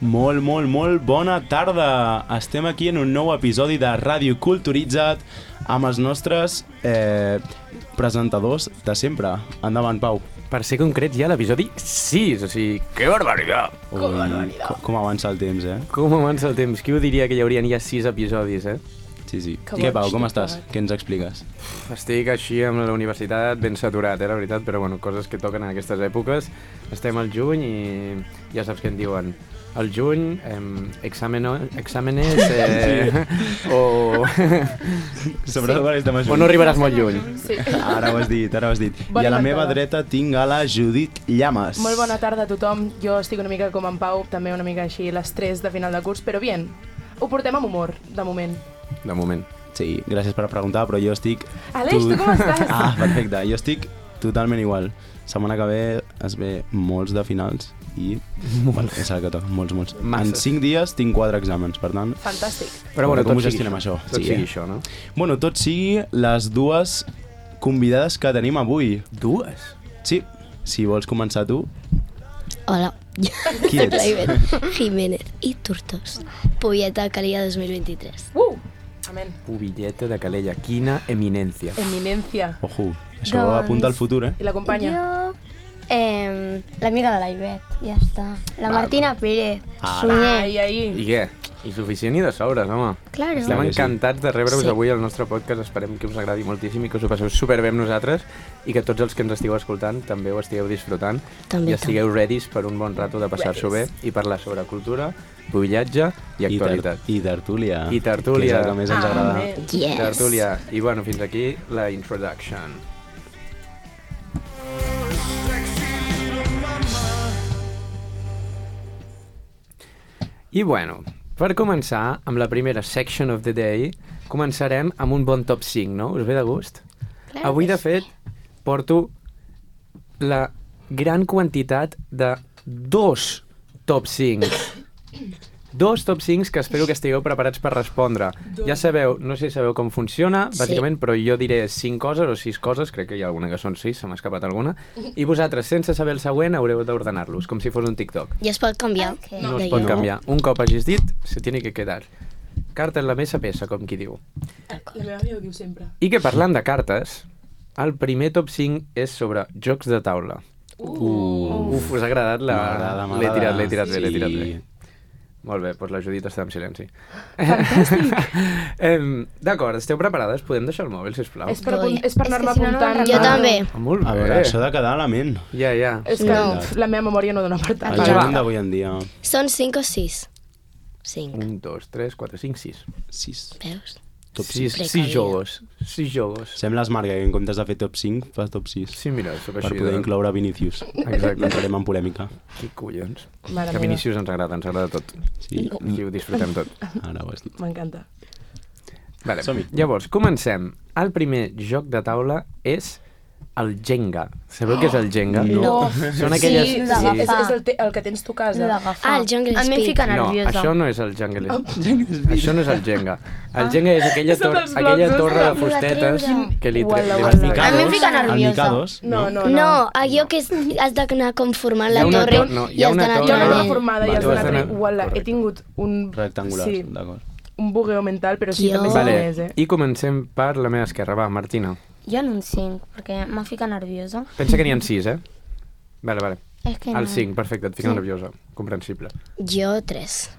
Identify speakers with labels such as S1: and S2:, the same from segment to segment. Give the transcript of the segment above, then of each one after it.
S1: Molt bona tarda. Estem aquí en un nou episodi de Ràdio Culturitzat amb els nostres presentadors de sempre. Endavant, Pau.
S2: Per ser concrets, ja l'episodi 6, o sigui, que barbaritat!
S1: Com avança el temps,
S2: Com avança el temps? Qui ho diria que hi haurien ja 6 episodis,
S1: Sí. Què, Pau, com estàs? Què ens expliques?
S2: Estic així amb la universitat ben saturat, la veritat, però bueno, coses que toquen en aquestes èpoques. Estem al juny i ja saps què en diuen. Al juny, exàmenes o...
S1: Sobretot quan estem a juny.
S2: O no arribaràs molt lluny.
S3: Sí.
S1: Ara ho has dit. I a la meva dreta tinc a la Judit Llamas.
S3: Molt bona tarda a tothom. Jo estic una mica com en Pau, també una mica així l'estrès de final de curs, però bien, ho portem amb humor, de moment.
S2: De moment.
S1: Sí, gràcies per preguntar, però jo estic...
S3: Aleix, tu com estàs?
S1: Perfecte. Jo estic totalment igual. Setmana que ve es ve molts de finals i... Bueno, és el que toca, molts. En 5 dies tinc 4 exàmens, per tant...
S3: Fantàstic.
S2: Però bueno,
S1: com
S2: tot
S1: ho gestionem, això?
S2: Tot sigui això, no?
S1: Bueno, tot sigui les dues convidades que tenim avui.
S2: Dues?
S1: Sí, si vols començar tu.
S4: Hola,
S1: Qui
S4: soc
S1: ets?
S4: la Ivet Jiménez i Tortós, Polleta Calella 2023.
S3: Amén.
S2: Pubilleta de Calella, quina eminència.
S3: Eminencia.
S1: Ojo, això
S4: Doncs-
S1: apunta al futur,
S3: I l'acompanya.
S4: Jo, l'amiga de la Ivet, ja està. La Martina Pérez,
S1: Ara.
S4: Sunyer.
S3: Ai.
S2: I què? I suficient i de sobres, home.
S4: Claro.
S2: Estem
S1: que sí.
S2: encantats de rebre-vos
S4: Sí.
S2: avui al nostre podcast. Esperem que us agradi moltíssim i que us ho passeu superbé amb nosaltres i que tots els que ens estigueu escoltant també ho estigueu disfrutant
S4: També,
S2: i estigueu readys per un bon rato de passar-s'ho bé i parlar sobre cultura, pubillatge i actualitat.
S1: I tertúlia.
S2: I tertúlia.
S1: Que és el que més ens agrada.
S3: Amén.
S4: Yes.
S2: Tertúlia. I bueno, fins aquí la introduction. I bueno, per començar, amb la primera section of the day, començarem amb un bon top 5, no? Us ve de gust?
S4: Claro
S2: Avui,
S4: que
S2: de fet, porto la gran quantitat de 2 top 5. 2 top 5 que espero que estigueu preparats per respondre. Ja sabeu, no sé si sabeu com funciona,
S4: Sí.
S2: bàsicament, però jo diré 5 coses o 6 coses, crec que hi ha alguna que són 6, se m'ha escapat alguna, i vosaltres, sense saber el següent, haureu d'ordenar-los, com si fos un TikTok.
S4: I es pot canviar.
S2: No es
S4: Deia.
S2: pot canviar. Un cop hagis dit, se tiene que quedar. Carta en la mesa pesa, com qui diu.
S3: La meva àvia ho diu sempre.
S2: I que parlant de cartes, el primer top 5 és sobre jocs de taula. Uf, us ha agradat la...
S1: M'agrada.
S2: L'he tirat bé.
S1: Sí.
S2: Molt bé, doncs la Judit està en silenci. Fantàstic! D'acord, esteu preparades? Podem deixar el mòbil, sisplau?
S3: És per anar-me
S4: si no, no
S3: apuntant.
S4: Jo també.
S2: Molt
S1: A
S2: bé.
S1: veure, això de quedar a la ment.
S2: Ja.
S3: És que
S4: No.
S3: la meva memòria no dona per tant.
S1: El
S2: va.
S1: jovent d'avui en dia.
S4: Són 5 o 6? 5.
S2: 1, 2, 3, 4, 5, 6.
S1: 6.
S4: Veus?
S1: Top
S2: 6
S4: Precaria.
S2: jogos. 6 jogos.
S1: Sembla Smart que en comptes de fer top 5, fas top 6.
S2: Sí, mira, sóc
S1: Per
S2: així.
S1: poder incloure Vinícius.
S2: Exacte.
S1: Entrarem en polèmica.
S2: Que collons.
S3: Mare
S2: Que
S3: meva.
S2: Vinícius ens agrada tot.
S1: Sí,
S2: Aquí ho disfrutem tot.
S1: ara ho has dit.
S3: M'encanta.
S2: Vale.
S1: Som-hi.
S2: Llavors, comencem. El primer joc de taula és el Jenga. Sabeu què és el Jenga?
S4: No.
S2: Són aquelles...
S3: Sí,
S4: d'agafar.
S3: és el que tens tu a casa.
S4: Ah, el Jungle
S5: A mi em
S4: Speed.
S5: fica
S2: No,
S5: nerviosa.
S2: això no és el Jungle. Això no és el Jenga. El Jenga és aquella,
S3: És tot els
S2: aquella
S3: blocs,
S2: torre de
S3: és
S2: fustetes que li
S3: Uala,
S2: vas
S3: uala.
S2: ficar
S5: A mi em
S2: dos.
S5: fica nerviosa.
S1: El Micados,
S3: No.
S4: No, allò que has d'anar conformant
S2: Hi
S4: la
S2: ha una
S4: torre
S2: no, hi
S4: i
S2: ha
S4: has
S2: una
S4: d'anar
S3: Jo no
S2: torre-
S3: l'he
S4: tirant.
S3: formada i
S1: Vale.
S3: has
S2: Tu has
S3: donat...
S2: d'anar-
S3: Uala, he
S2: correcte.
S3: tingut un...
S1: rectangulars,
S3: Sí,
S1: d'acord.
S3: un bugueo mental, però sí,
S4: Jo-
S3: també sé
S2: Vale,
S3: què és,
S2: i comencem per la meva esquerra. Va, Martina.
S5: Jo en un 5, perquè m'ha ficat nerviosa.
S2: Pensa que n'hi ha 6, Vale.
S5: És que
S2: El
S5: no.
S2: 5, perfecte, et fica nerviosa. Comprensible.
S4: Jo 3.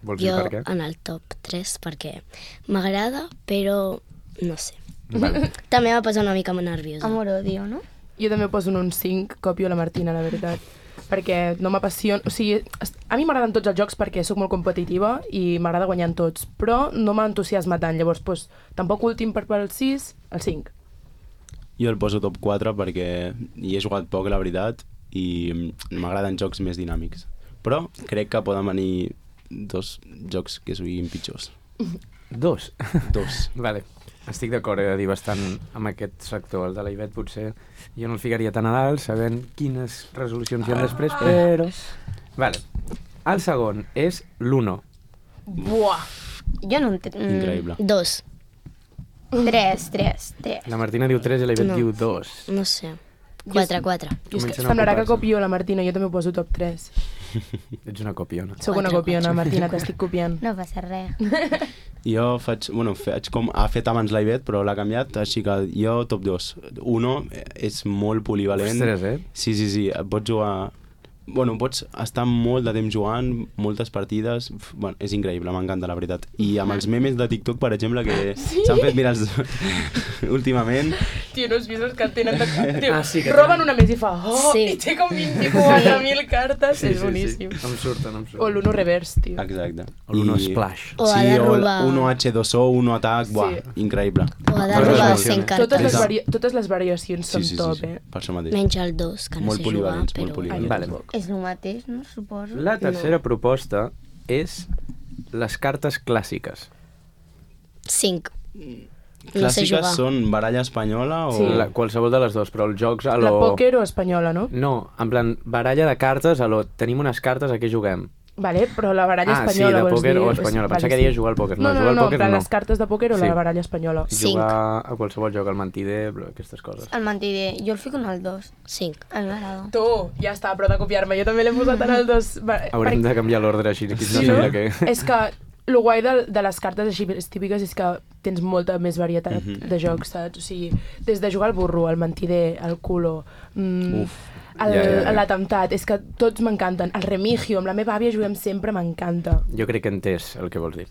S2: Vols dir
S4: Jo
S2: per què?
S4: en el top 3 perquè m'agrada, però no sé.
S2: Vale.
S4: També va passar una mica nerviosa.
S5: Amor-odio, no?
S3: Jo també poso en un 5, copio la Martina, la veritat. Perquè no m'apassiona... O sigui, a mi m'agraden tots els jocs perquè sóc molt competitiva i m'agrada guanyar en tots, però no m'entusiasma tant. Llavors, doncs, tampoc últim per el 6, el 5.
S1: Jo el poso top 4 perquè hi he jugat poc, la veritat, i m'agraden jocs més dinàmics. Però crec que poden venir 2 jocs que siguin pitjors.
S2: 2.
S1: 2.
S2: Vale. Estic d'acord, he de dir bastant amb aquest sector, el de la Ivet potser jo no el ficaria tan a dalt, sabent quines resolucions hi ha després, però... Vale. El segon és l'Uno.
S3: Buah!
S5: Jo no entenc.
S1: Increïble.
S4: 2.
S5: 3.
S2: La Martina diu 3 i la Ivet
S4: No.
S2: diu 2.
S4: No sé.
S5: 4, 4.
S3: Jo és que
S2: Comencen a
S3: semblarà que
S2: ocupar-se.
S3: copio la Martina, jo també ho poso top 3.
S2: Ets una copiona.
S3: Sóc una copiona, Martina, t'estic copiant.
S5: No passa res.
S1: Jo faig com ha fet abans l'Ivet, però l'ha canviat, així que jo top 2. Uno és molt polivalent.
S2: Ostres,
S1: Sí, pots jugar... Bueno, pots estar molt de temps jugant, moltes partides... Bueno, és increïble, m'encanta, la veritat. I amb els memes de TikTok, per exemple, que s'han fet virals últimament...
S3: Tio, no has vist els que tenen de... Tio,
S2: sí, que
S3: roben una més i fa... Oh,
S5: Sí.
S3: i té com 24.000 cartes. És boníssim.
S2: Em surten.
S3: O l'Uno Reverse, tio.
S1: Exacte.
S2: O l'Uno Splash.
S5: O ha de robar...
S1: Uno H2O, Uno Atac, buah, increïble.
S5: O ha de
S2: Totes
S5: robar
S2: les
S5: 100
S3: Totes
S5: cartes.
S3: totes les variacions són top, eh?
S1: Per això mateix.
S5: Menys el 2, que no
S1: Molt
S5: sé jugar,
S1: polivalents, molt
S5: però...
S1: polivalents.
S2: Vale.
S5: És el mateix, no? Suposo.
S2: La tercera proposta és les cartes clàssiques.
S5: 5. No sé
S1: Clàssiques
S5: jugar.
S1: són baralla espanyola o...
S3: Sí.
S2: Qualsevol de les dues, però els jocs a
S3: La
S2: lo...
S3: pòquer o espanyola, no?
S2: No, en plan, baralla de cartes a lo... Tenim unes cartes, a què juguem?
S3: Vale, però la baralla
S2: Ah, sí,
S3: espanyola,
S2: de
S3: vols
S2: pòquer
S3: dir?
S2: o espanyola.
S3: Vale,
S2: Pensava que deies jugar al pòquer. No,
S3: No,
S2: jugar
S3: no,
S2: al
S3: no,
S2: pòquer
S3: en plan,
S2: no.
S3: les cartes de pòquer o
S2: Sí.
S3: la baralla espanyola.
S2: Jugar a qualsevol joc, al mentider, aquestes coses.
S5: El mentider, jo el fico en el 2. 5. A mi m'agrada.
S3: Tu, ja està, però de copiar-me. Jo també l'he posat en el 2.
S2: Haurem de canviar l'ordre així, que no
S3: Sí,
S2: sembla
S3: no?
S2: que...
S3: És que el guai de les cartes així típiques és que tens molta més varietat de jocs, saps? O sigui, des de jugar al burro, al mentider, al culo,
S2: Ja.
S3: l'atemptat, és que tots m'encanten. El remigio, amb la meva àvia juguem sempre, m'encanta.
S2: Jo crec que he entès el que vols dir.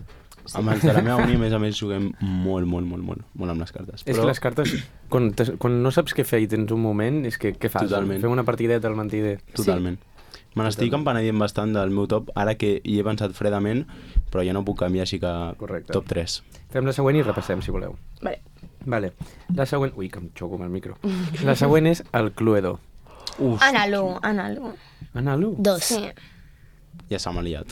S1: Amb els de la meva uni, a més, juguem molt amb les cartes.
S2: És que les cartes, quan no saps què fer i tens un moment, és que què fas?
S1: Totalment.
S2: Fem una partideta al mentider.
S1: Totalment. Me n'estic empenedint bastant del meu top, ara que hi he pensat fredament, però ja no puc canviar, així que
S2: Correcte.
S1: top 3.
S2: Fem la següent i repassem, si voleu.
S3: Vale.
S2: Vale. La següent... Ui, que em xoco amb el micro. La següent és el Cluedo.
S5: Analo, analo.
S2: Ana, l'1?
S5: 2. Sí.
S1: Ja s'ha liat.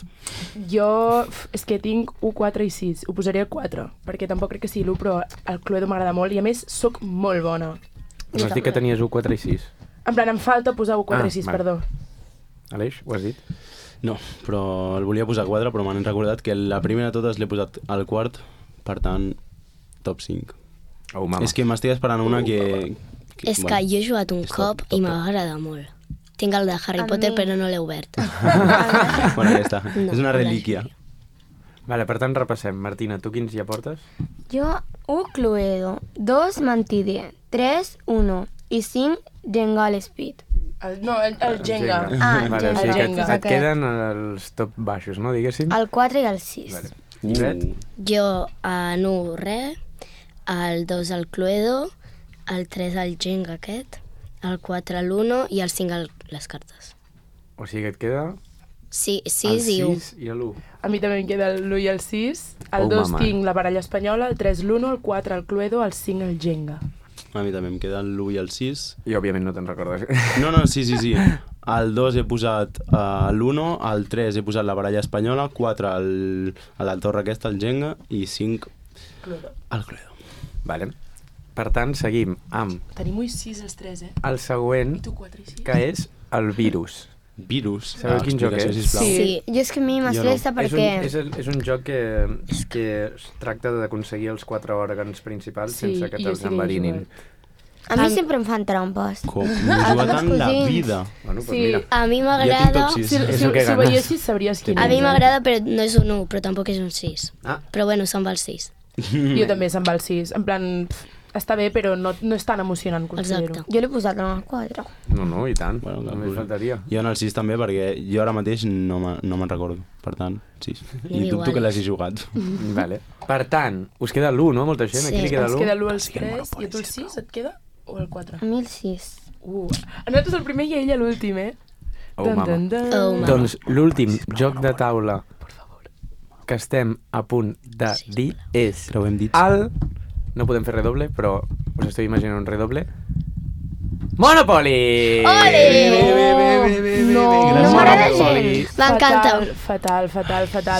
S3: Jo, és que tinc 1, 4 i 6. Ho posaré al 4, perquè tampoc crec que sigui l'1, però el Cluedo m'agrada molt i a més sóc molt bona.
S2: Vas dir que tenies 1, 4 i 6.
S3: En plan, em falta posar 1, 4 i 6,
S2: vale.
S3: perdó.
S2: Aleix, ho has dit?
S1: No, però el volia posar 4, però m'han recordat que la primera de totes l'he posat al quart, per tant, top 5.
S2: Oh, mama.
S1: És que m'estic esperant una que
S5: És que jo he jugat un
S1: és
S5: cop
S1: top,
S5: i
S1: top,
S5: m'agrada molt. Tinc el de Harry Potter, però no l'he obert.
S1: Bueno, ja està.
S5: No,
S1: És una
S5: la
S1: relíquia.
S2: Vale, per tant, repassem. Martina, tu quins ja portes?
S6: Jo, 1 Cluedo, 2 Mentider, 3 1 i 5 Jenga Speed.
S3: El Jenga.
S6: Ah,
S2: vale, o
S6: Jenga.
S2: sigui que
S3: Jenga.
S2: et queden els top baixos, no? Diguéssim.
S6: El 4 i el 6.
S2: Vale. Ivet?
S5: Jo en 1 res, el 2 el Cluedo, el 3 el Jenga aquest, el 4 l'1 i el 5 les cartes.
S2: O sigui que et queda
S5: Sí,
S2: el
S5: 6 i 1.
S2: 6 i l'1.
S3: A mi també em queda l'1 i el 6. El
S2: Oh,
S3: 2
S2: mama.
S3: tinc la baralla espanyola, el 3 l'1, el 4 el Cluedo, el 5 el Jenga.
S1: A mi també em queda l'1 i el 6.
S2: I òbviament no te'n recordes.
S1: No, sí. Al 2 he posat l'1, al 3 he posat la baralla espanyola, 4 a la torre aquesta, el Jenga, i 5
S3: Cluedo.
S1: al Cluedo.
S2: Vale. Per tant, seguim amb
S3: Tenim 1 i 6 els 3, eh?
S2: el següent,
S3: I tu 4 i 6?
S2: que és el virus.
S1: Virus.
S2: Sabeu quin joc
S1: explicació,
S2: és?
S1: sisplau.
S3: Sí.
S6: Jo és que a mi m'estressa perquè...
S2: És un joc que es tracta d'aconseguir els 4 òrgans principals
S3: Sí,
S2: sense que
S3: jo
S2: te'ls
S3: sí que hi he
S2: enverinin.
S6: A mi sempre em fan trampes.
S1: Com? No he jugat en la
S6: cosins.
S1: vida.
S2: Bueno, doncs
S3: Sí.
S2: mira.
S5: A mi
S1: Jo tinc
S5: m'agrada...
S1: top 6.
S3: Si
S2: És el que
S3: ho
S2: ganes.
S3: veiessis sabries quin
S5: A mi
S3: és.
S5: m'agrada, però no és un 1, però tampoc és un 6.
S2: Ah.
S5: Però bueno, se'n va el 6.
S3: Jo també se'n va el 6. En plan, està bé, però no és tan emocionant, considero.
S5: Exacte.
S6: Jo l'he posat en el 4.
S2: No, i tant.
S1: Bueno,
S2: Només faltaria.
S1: Jo en el 6 també, perquè jo ara mateix no me'n recordo. Per tant, 6. I
S5: Igual.
S1: dubto que l'hagi jugat.
S2: Vale. Per tant, us queda l'1, no? Molta gent,
S5: Sí.
S2: aquí li queda
S3: Ens
S2: l'1.
S3: queda l'1 als 3 i a tu el 6 et queda? O el 4?
S6: A mi el 6.
S3: A nosaltres el primer i a ella l'últim, eh?
S2: Oh, mama.
S5: Oh, mama.
S2: Doncs l'últim joc de taula que estem a punt de dir és
S1: Creuem dits.
S2: el... No podem fer redoble, però us estic imaginant un redoble. Monopoly!
S3: No,
S2: Gràcies,
S6: m'agrada
S2: Monopoly.
S5: M'encanta.
S3: Fatal.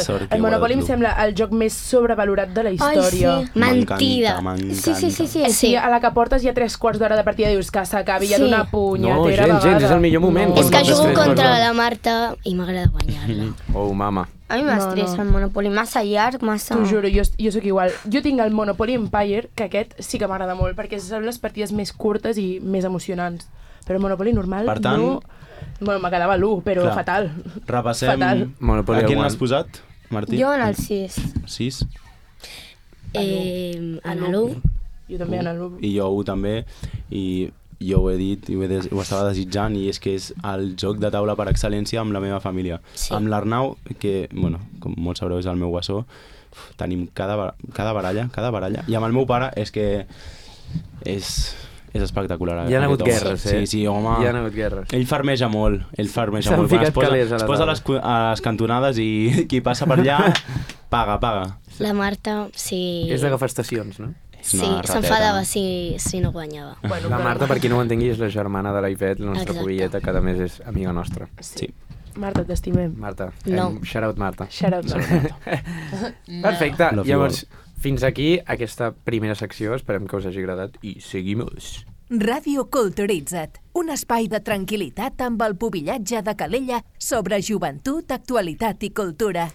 S1: Sort que
S3: El Monopoly em
S1: guarda-t'lo.
S3: sembla el joc més sobrevalorat de la història.
S6: sí.
S5: Mentida.
S1: M'encanta.
S6: Sí.
S3: Sí, a la que portes ja 3/4 d'hora de partida dius que s'acabi ja
S6: Sí.
S3: d'una
S2: No,
S3: punyetera
S2: gens,
S3: vegada.
S2: és el millor moment.
S3: No.
S2: Quan
S5: És que
S2: portes
S5: jugo
S2: 3
S5: contra
S2: quarts
S5: la Marta i m'agrada guanyar-la.
S2: Oh, mama.
S6: A mi m'estressa
S3: No.
S6: el Monopoly. Massa llarg, massa...
S3: T'ho juro, jo sóc igual. Jo tinc el Monopoly Empire, que aquest sí que m'agrada molt, perquè són les partides més curtes i més emocionants. Però Monopoly normal
S1: Per tant-
S3: no... Bueno, me quedava l'1, però
S1: Clar.
S3: fatal.
S1: Repassem...
S3: Fatal.
S2: Monopoly
S1: A quin
S2: One.
S1: l'has posat, Martí?
S6: Jo en el 6.
S1: 6.
S5: En l'1,
S3: Jo també en l'1.
S1: I jo 1 també, i jo ho he dit i ho estava desitjant, i és que és el joc de taula per excel·lència amb la meva família.
S5: Sí.
S1: Amb l'Arnau, que, bueno, com molts sabreu, és el meu guassó, tenim cada baralla, i amb el meu pare és que és espectacular.
S2: Hi ha hagut
S1: aquest home.
S2: guerres,
S1: Sí, sí, home.
S2: Hi ha hagut guerres.
S1: Ell farmeja molt, Quan
S2: ficat
S1: es posa,
S2: calés a
S1: es
S2: la
S1: posa
S2: taula.
S1: a les cantonades i qui passa per allà paga.
S5: la Marta, sí...
S2: És d'agafar estacions, no?
S1: És
S5: Sí,
S1: una rateta,
S5: s'enfadava
S1: no?
S5: si no guanyava.
S3: Bueno,
S2: La
S3: però-
S2: Marta, per qui no ho entengui, és la germana de la Ivet, la nostra
S5: Exacte.
S2: pubilleta, que a més és amiga nostra.
S1: Sí.
S3: Marta, t'estimem.
S2: Marta.
S5: No.
S2: Shout out, Marta.
S3: Shout out, Marta.
S2: Perfecte.
S1: Love you
S2: Llavors, fins aquí aquesta primera secció. Esperem que us hagi agradat i seguim-nos.
S7: Ràdio Culturitza't, un espai de tranquil·litat amb el pubillatge de Calella sobre joventut, actualitat i cultura.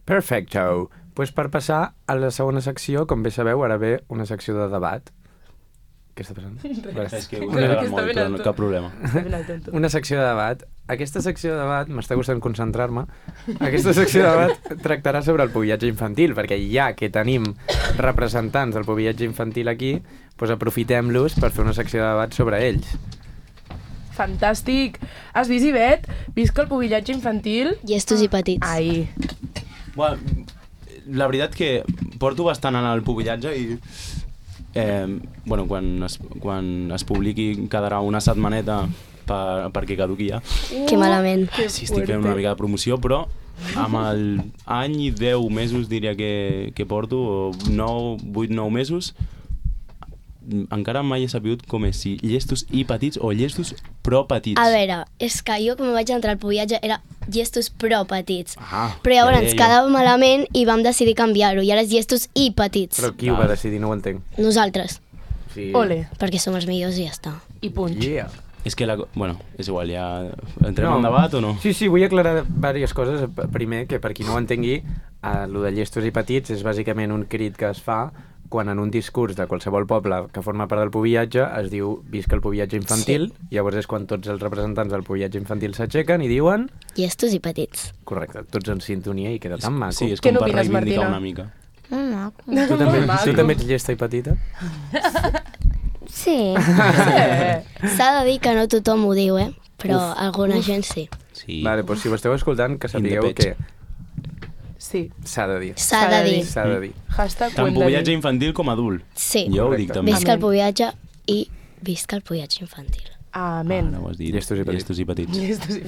S2: Perfecto. Pues per passar a la segona secció, com bé sabeu, ara ve una secció de debat. Què està passant?
S1: És que ho
S3: Crec
S1: he
S3: que està
S1: molt,
S3: ben
S1: però
S3: alto.
S1: no, cap problema.
S3: Està ben al tonto.
S2: Una secció de debat. Aquesta secció de debat, m'està costant concentrar-me, aquesta secció de debat tractarà sobre el pubillatge infantil, perquè ja que tenim representants del pubillatge infantil aquí, doncs aprofitem-los per fer una secció de debat sobre ells.
S3: Fantàstic. Has vist, Ivet? Visca el pubillatge infantil?
S5: Llestos i petits.
S3: Ai.
S1: Bueno, la veritat que porto bastant en el pubillatge i bueno, quan es publiqui quedarà una setmaneta perquè caduqui ja.
S5: Que malament.
S1: Sí, estic fent una mica de promoció, però amb el any i 10 mesos diria que porto, o 8-9 mesos, encara mai he sabut com és, si llestos i petits o llestos però petits.
S5: A veure, és que jo quan vaig entrar al pubillatge era llestos però petits.
S1: Ah,
S5: Però llavors
S1: ja deia jo.
S5: quedava malament i vam decidir canviar-ho i ara és llestos i petits.
S2: Però qui ho va decidir? No ho entenc.
S5: Nosaltres,
S2: Sí.
S3: Ole.
S5: perquè som els millors i ja està.
S3: I punx.
S2: Yeah.
S1: És que, bueno, és igual, ja entrem en debat o no?
S2: Sí, sí, vull aclarar diverses coses. Primer, que per qui no ho entengui, el de llestos i petits és bàsicament un crit que es fa quan en un discurs de qualsevol poble que forma part del pubillatge es diu visca el pubillatge infantil, i llavors és quan tots els representants del pubillatge infantil s'aixequen i diuen...
S5: Llestos i petits.
S2: Correcte, tots en sintonia i queda tan maco.
S1: Sí, és
S3: Què
S1: com per
S3: n'opines,
S1: reivindicar
S3: Martina?
S1: una mica.
S6: Maco.
S2: Tu també,
S3: Maco.
S2: tu també ets llesta i petita?
S6: Sí.
S5: S'ha de dir que no tothom ho diu, però alguna gent sí.
S1: Sí.
S2: Vale, doncs si ho esteu escoltant, que sapigueu
S1: In the
S2: que
S3: Sí.
S2: s'ha de dir.
S5: S'ha de dir.
S2: S'ha de dir.
S3: Hashtag
S1: Tant
S3: ho hem de
S1: pubillatge
S3: dir.
S1: infantil com adult.
S5: Sí.
S1: Jo ho dic
S2: Correcte.
S1: també.
S5: Visca el
S3: Amén.
S5: pubillatge i visca el pubillatge infantil.
S3: Amén.
S1: Ara ho has dit.
S2: Llestos i petits.
S1: Llestos i petits.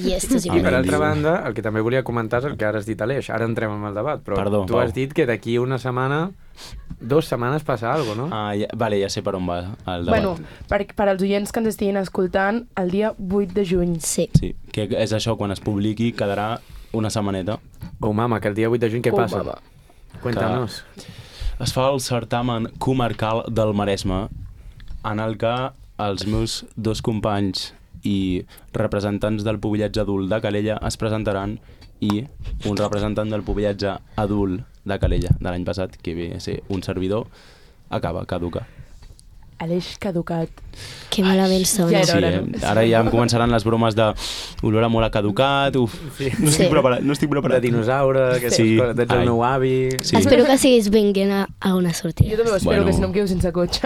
S5: Llestos i
S2: I per
S1: Amén,
S2: altra
S1: diu.
S2: banda, el que també volia comentar és el que ara has dit, Aleix. Ara entrem en el debat, però
S1: Perdó,
S2: tu
S1: Pau.
S2: has dit que d'aquí una setmana, 2 setmanes passa alguna cosa, no?
S1: Ah, vale, ja sé per on va el debat.
S3: Bueno, per als oients que ens estiguin escoltant, el dia 8 de juny.
S5: Sí.
S1: Sí, que és això, quan es publiqui quedarà una setmaneta.
S2: Oh, mama, que el dia 8 de juny què
S3: Oh,
S2: passa?
S3: mama.
S2: Cuéntanos.
S1: Es fa el certamen comarcal del Maresme, en el que els meus 2 companys i representants del pubillatge adult de Calella es presentaran, i un representant del pubillatge adult de Calella de l'any passat, que ve a ser un servidor, caduca.
S3: Aleix caducat.
S5: Que malament som.
S3: Ja era
S1: Sí,
S3: hora, no?
S1: ara ja em començaran les bromes de olor molt a caducat, uf, no estic
S5: Sí.
S1: preparat, no estic
S2: De
S1: preparat.
S2: dinosaure, aquestes
S1: Sí.
S2: coses, d'ets el
S1: Ai.
S2: meu avi...
S1: Sí.
S5: Espero que siguis vinguent a una sortida.
S3: Jo també ho espero,
S1: Bueno.
S3: que si no em quedo sense cotxe.